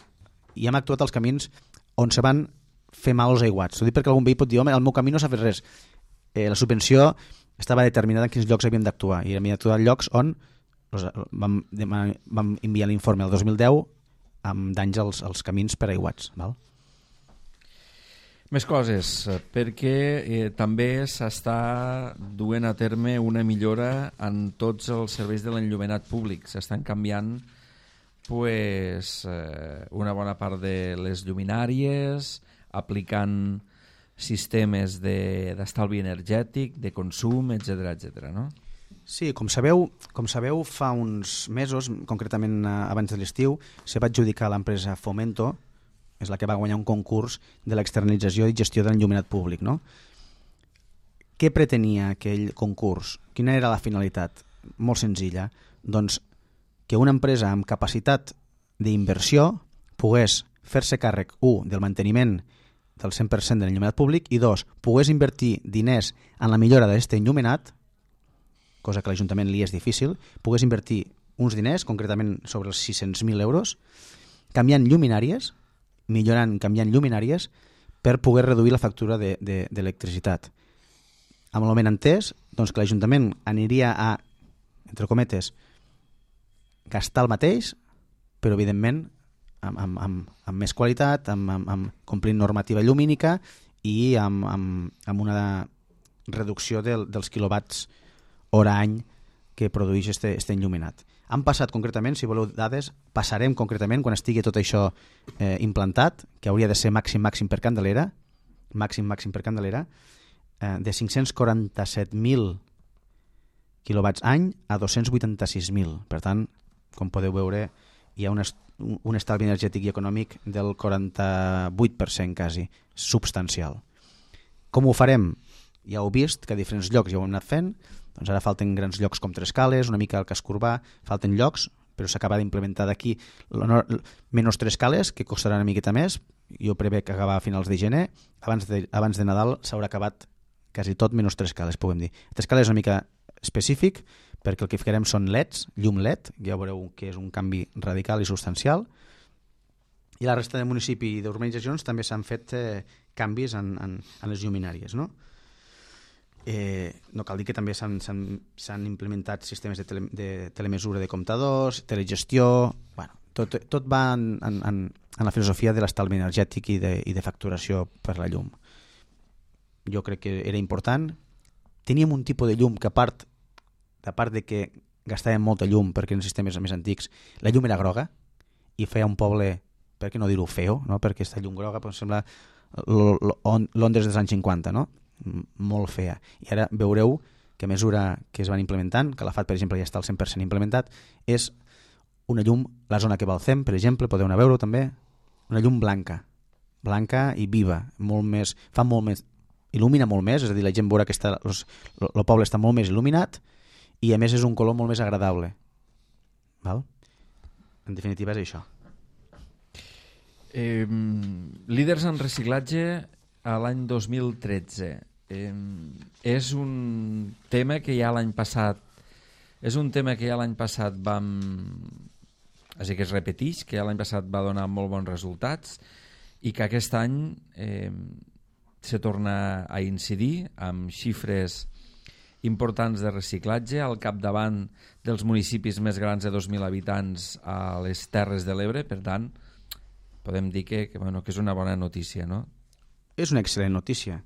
C: i hem actuat als camins on se van fer mal els aiguats. Ho dic perquè algun veí pot dir, home, al meu camí no s'ha fet res. La subvenció estava determinada en quins llocs havíem d'actuar i havíem d'actuar en llocs on vam enviar l'informe el 2010 amb danys als camins per aiguats. Val?
A: Més coses, perquè també s'està duent a terme una millora en tots els serveis de l'enllumenat públic. S'estan canviant una bona part de les lluminàries, aplicant sistemes d'estalvi energètic, de consum, etc., no?
C: Sí, com sabeu, fa uns mesos, concretament abans de l'estiu, se va adjudicar a l'empresa Fomento, és la que va guanyar un concurs de l'externalització i gestió de l'enllumenat públic, no? Què pretenia aquell concurs? Quina era la finalitat? Molt senzilla. Doncs que una empresa amb capacitat d'inversió pogués fer-se càrrec, 1, del manteniment del 100% de l'enllumenat públic i 2, pogués invertir diners en la millora d'aquest enllumenat, cosa que a l'Ajuntament li és difícil, pogués invertir uns diners, concretament sobre els 600.000 euros, canviant lluminàries, canviant lluminàries per poder reduir la factura d'electricitat. Amb el benentès, doncs que l'Ajuntament aniria a, entre cometes, gastar el mateix, però evidentment amb més qualitat, amb complint normativa llumínica i amb una reducció dels quilowatts hora any que produeix este enllumenat. Han passat concretament, si voleu dades, passarem concretament quan estigui tot això implantat, que hauria de ser màxim per Candelera, de 547.000 quilowatts any a 286.000. Per tant, com podeu veure, hi ha un estalvi energètic i econòmic del 48% quasi, substancial. Com ho farem? Ja heu vist que a diferents llocs ja ho hem anat fent, doncs ara falten grans llocs com Trescales, una mica el Casc Urbà, falten llocs, però s'acaba d'implementar d'aquí menys Trescales, que costarà una miqueta més, jo prevé que acabar a finals de gener, abans de Nadal s'haurà acabat quasi tot menys 3 cales, podem dir. 3 cales és una mica específic perquè el que ficarem són LEDs, llum LED, ja veureu que és un canvi radical i substancial, i la resta de municipi i d'urbanitzacions també s'han fet canvis en les lluminàries, no? No cal dir que també s'han implementat sistemes de telemesura de comptadors, telegestió, bueno, tot va en la filosofia de l'estalvi energètic i de facturació per la llum. Jo crec que era important. Teníem un tipus de llum que a part de que gastàvem molta llum perquè eren sistemes més antics, la llum era groga i feia un poble, per què no dir-ho feo, no? Perquè aquesta llum groga sembla Londres dels anys 50, no? Molt fea. I ara veureu que a mesura que es van implementant, que la FAT, per exemple, ja està al 100% implementat, és una llum, la zona que va al CEM, per exemple, podeu anar a veure també, una llum blanca i viva, fa molt més, il·lumina molt més, és a dir, la gent veurà que el poble està molt més il·luminat i a més és un color molt més agradable. Val? En definitiva és això.
A: Líders en reciclatge a l'any 2013. És un tema que ja l'any passat vam... Així que es repeteix, que ja l'any passat va donar molt bons resultats i que aquest any se torna a incidir amb xifres importants de reciclatge al capdavant dels municipis més grans de 2.000 habitants a les Terres de l'Ebre. Per tant, podem dir que és una bona notícia, no?
C: És una excel·lent notícia.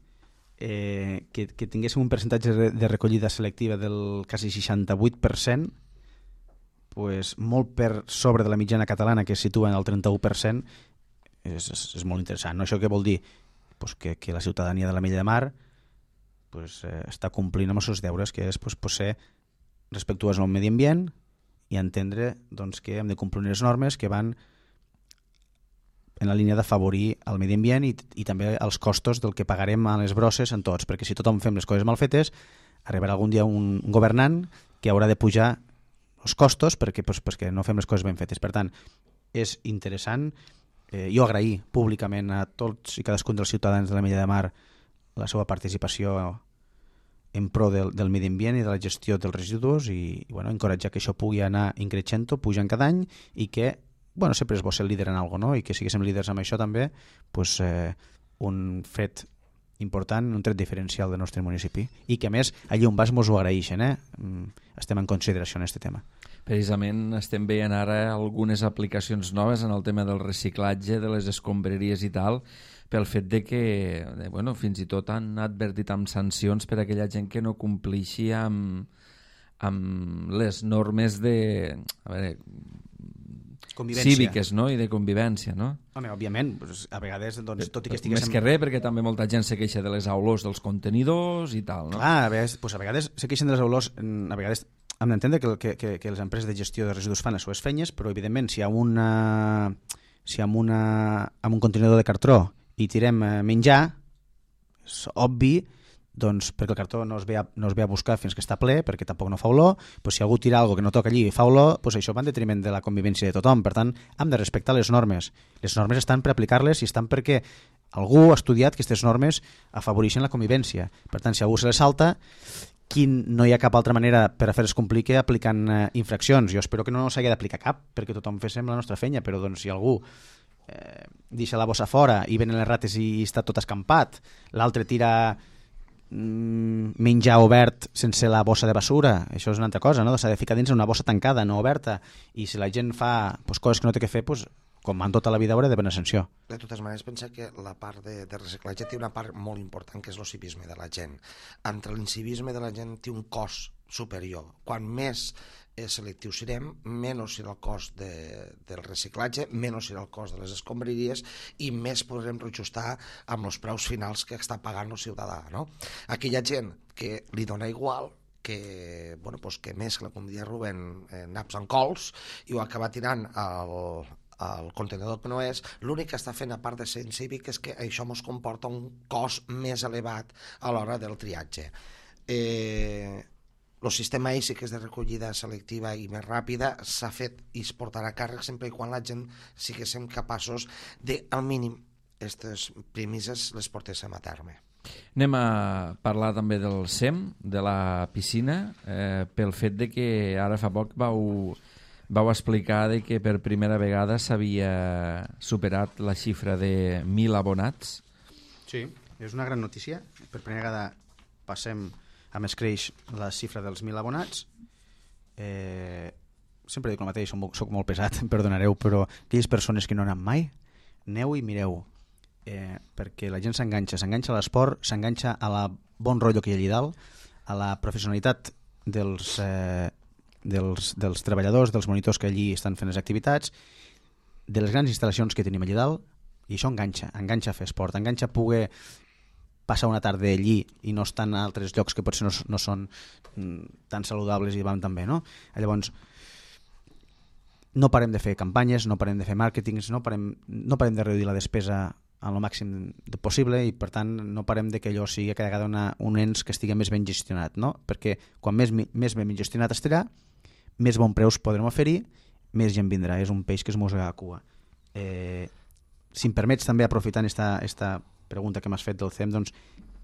C: Que tinguéssim un percentatge de recollida selectiva del quasi 68%, pues molt per sobre de la mitjana catalana, que es situa en el 31%, és molt interessant. No? Això què vol dir? Pues que la ciutadania de la Mella de Mar està complint amb els seus deures, que és ser respectuós amb el medi ambient i entendre que hem de complir unes normes que van en la línia d'afavorir el medi ambient i també els costos del que pagarem a les brosses en tots, perquè si tothom fem les coses mal fetes, arribarà algun dia un governant que haurà de pujar els costos perquè no fem les coses ben fetes. Per tant, és interessant. Jo agrair públicament a tots i cadascun dels ciutadans de la Mella de Mar la seva participació en pro del medi ambient i de la gestió dels residus i encoratjar que això pugui anar increixent, pujant cada any i que sempre és bo ser líder en alguna cosa, no? I que siguéssim líders amb això també, un fet important, un tret diferencial del nostre municipi. I que a més, allà on vas mos ho agraeixen, estem en consideració en aquest tema.
A: Precisament estem veient ara algunes aplicacions noves en el tema del reciclatge, de les escombraries i tal, pel fet de que fins i tot han advertit amb sancions per a aquella gent que no complixi amb les normes de... cíviques, no? I de convivència, no?
C: Home, òbviament, a vegades, tot i que estiguéssim...
A: Més que res, perquè també molta gent se queixa de les olors dels contenidors i tal, no?
C: Clar, a vegades se queixen de les olors, a vegades hem d'entendre que les empreses de gestió de residus fan les seves feines, però evidentment si amb un contenidor de cartró hi tirem menjar, és obvi, perquè el cartró no es ve a buscar fins que està ple, perquè tampoc no fa olor, si algú tira alguna cosa que no toca allí i fa olor, això va en detriment de la convivència de tothom. Per tant, hem de respectar les normes. Les normes estan per aplicar-les i estan perquè algú ha estudiat que aquestes normes afavoreixen la convivència. Per tant, si algú se les salta, no hi ha cap altra manera per a fer-les complir que aplicant infraccions. Jo espero que no s'hagi d'aplicar cap, perquè tothom féssim la nostra feina, però si algú deixa la bossa fora i venen les rates i està tot escampat, l'altre tira menjar obert sense la bossa de basura, això és una altra cosa, no? S'ha de ficar dins una bossa tancada, no oberta, i si la gent fa coses que no té que fer, com en tota la vida haurà de venir sanció.
B: De totes maneres, pensa que la part de reciclatge té una part molt important, que és el civisme de la gent. Entre l'incivisme de la gent té un cost superior. Quan més selectius serem, menys serà el cost del reciclatge, menys serà el cost de les escombraries i més podrem reajustar amb els preus finals que està pagant el ciutadà, no? Aquella gent que li dona igual, que mescla, com diria Rubén, naps amb cols i ho acaba tirant al contenidor que no és, l'únic que està fent a part de ser incívic és que això ens comporta un cost més elevat a l'hora del triatge. El sistema ISI, que és de recollida selectiva i més ràpida, s'ha fet i es portarà a càrrec sempre i quan la gent siguéssim capaços de, al mínim, aquestes premisses les portéssim a terme.
A: Anem a parlar també del SEM, de la piscina, pel fet de que ara fa poc vau explicar de que per primera vegada s'havia superat la xifra de 1.000 abonats.
C: Sí, és una gran notícia. Per primera vegada passem a més creix la xifra dels 1.000 abonats. Sempre dic el mateix, soc molt pesat, em perdonareu, però aquelles persones que no han anat mai, aneu i mireu, perquè la gent s'enganxa a l'esport, s'enganxa a la bon rotllo que hi ha allà dalt, a la professionalitat dels treballadors, dels monitors que allí estan fent les activitats, de les grans instal·lacions que tenim allà dalt, i això enganxa a fer esport, enganxa a poder passar una tarda allí i no estar en altres llocs que potser no són tan saludables i van tan bé, no? Llavors, no parem de fer campanyes, no parem de fer màrquetings, no parem de reduir la despesa al màxim possible i, per tant, no parem de que allò sigui cada vegada un ens que estigui més ben gestionat, no? Perquè quan més ben gestionat estarà, més bon preus podrem oferir, més gent vindrà. És un peix que es mossega a cua. Si em permets també, aprofitant esta pregunta que m'has fet del CEM, doncs,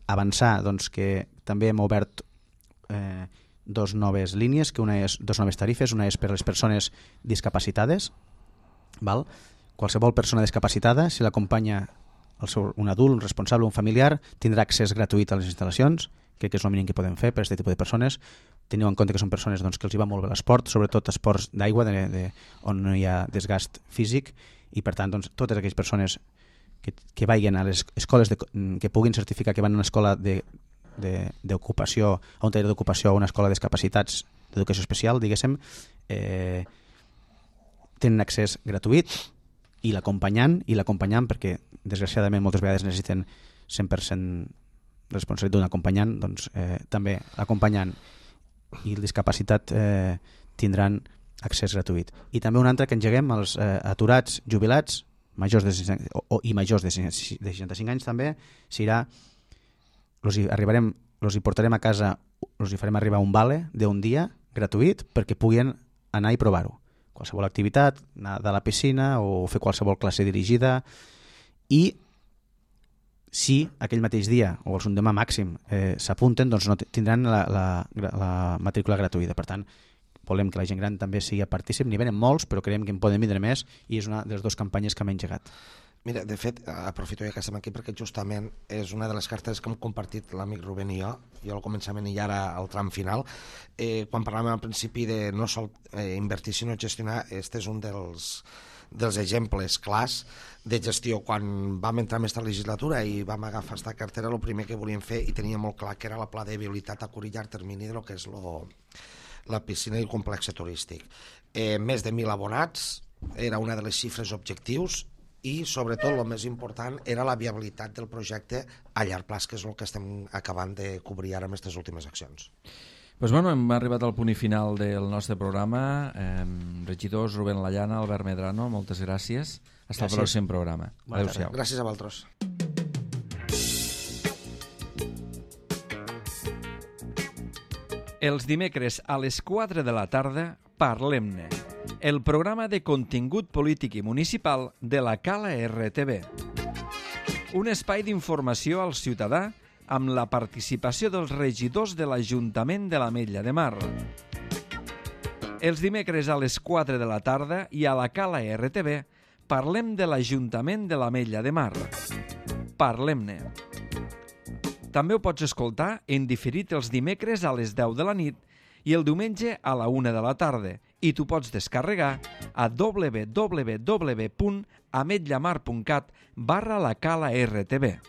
C: avançar que també hem obert dos noves línies, dos noves tarifes. Una és per a les persones discapacitades. Val? Qualsevol persona discapacitada, si l'acompanya un adult, un responsable, un familiar, tindrà accés gratuït a les instal·lacions. Crec que és el mínim que podem fer per aquest tipus de persones. Teniu en compte que són persones que els hi va molt bé l'esport, sobretot esports d'aigua, on no hi ha desgast físic, i per tant totes aquelles persones que vagin a les escoles que puguin certificar que van a una escola d'ocupació, a un taller d'ocupació o a una escola de discapacitats d'educació especial, diguéssim, tenen accés gratuït, i l'acompanyant perquè desgraciadament moltes vegades necessiten 100% responsabilitat d'un acompanyant, doncs també l'acompanyant i el discapacitat tindran accés gratuït. I també un altre que engeguem als aturats, jubilats, majors de 65 anys també, serà, els hi portarem a casa, els hi farem arribar un vale d'un dia gratuït perquè puguin anar i provar-ho. Qualsevol activitat, anar de la piscina o fer qualsevol classe dirigida, i si aquell mateix dia o el demà màxim s'apunten, doncs no tindran la matrícula gratuïta. Per tant, volem que la gent gran també sigui partícip. N'hi venen molts, però creiem que en poden vindre més, i és una de les dues campanyes que hem engegat.
B: Mira, de fet, aprofito ja que estem aquí perquè justament és una de les cartes que hem compartit l'amic Rubén i jo al començament i ara al tram final. Quan parlàvem al principi de no sol invertir sinó gestionar, este és un dels exemples clars de gestió. Quan vam entrar en aquesta legislatura i vam agafar aquesta cartera, el primer que volíem fer, i tenia molt clar, que era la pla de viabilitat a curt i llarg termini de lo que és la piscina i el complex turístic. Més de 1.000 abonats era una de les xifres objectius, i sobretot el més important era la viabilitat del projecte a llarg plaç, que és el que estem acabant de cobrir ara amb aquestes últimes accions.
A: Doncs bueno, hem arribat al punt i final del nostre programa. Regidors Rubén Lallana, Albert Medrano, moltes gràcies. Fins al pròxim programa. Adéu-siau.
B: Gràcies a vosaltres.
A: Els dimecres a les 4 de la tarda, Parlem-ne, el programa de contingut polític i municipal de la Cala RTV. Un espai d'informació al ciutadà amb la participació dels regidors de l'Ajuntament de l'Ametlla de Mar. Els dimecres a les 4 de la tarda i a la Cala RTV parlem de l'Ajuntament de l'Ametlla de Mar. Parlem-ne. També ho pots escoltar en diferit els dimecres a les 10 de la nit i el diumenge a la 1 de la tarda, i tu pots descarregar a www.ametllamar.cat/la Cala RTV.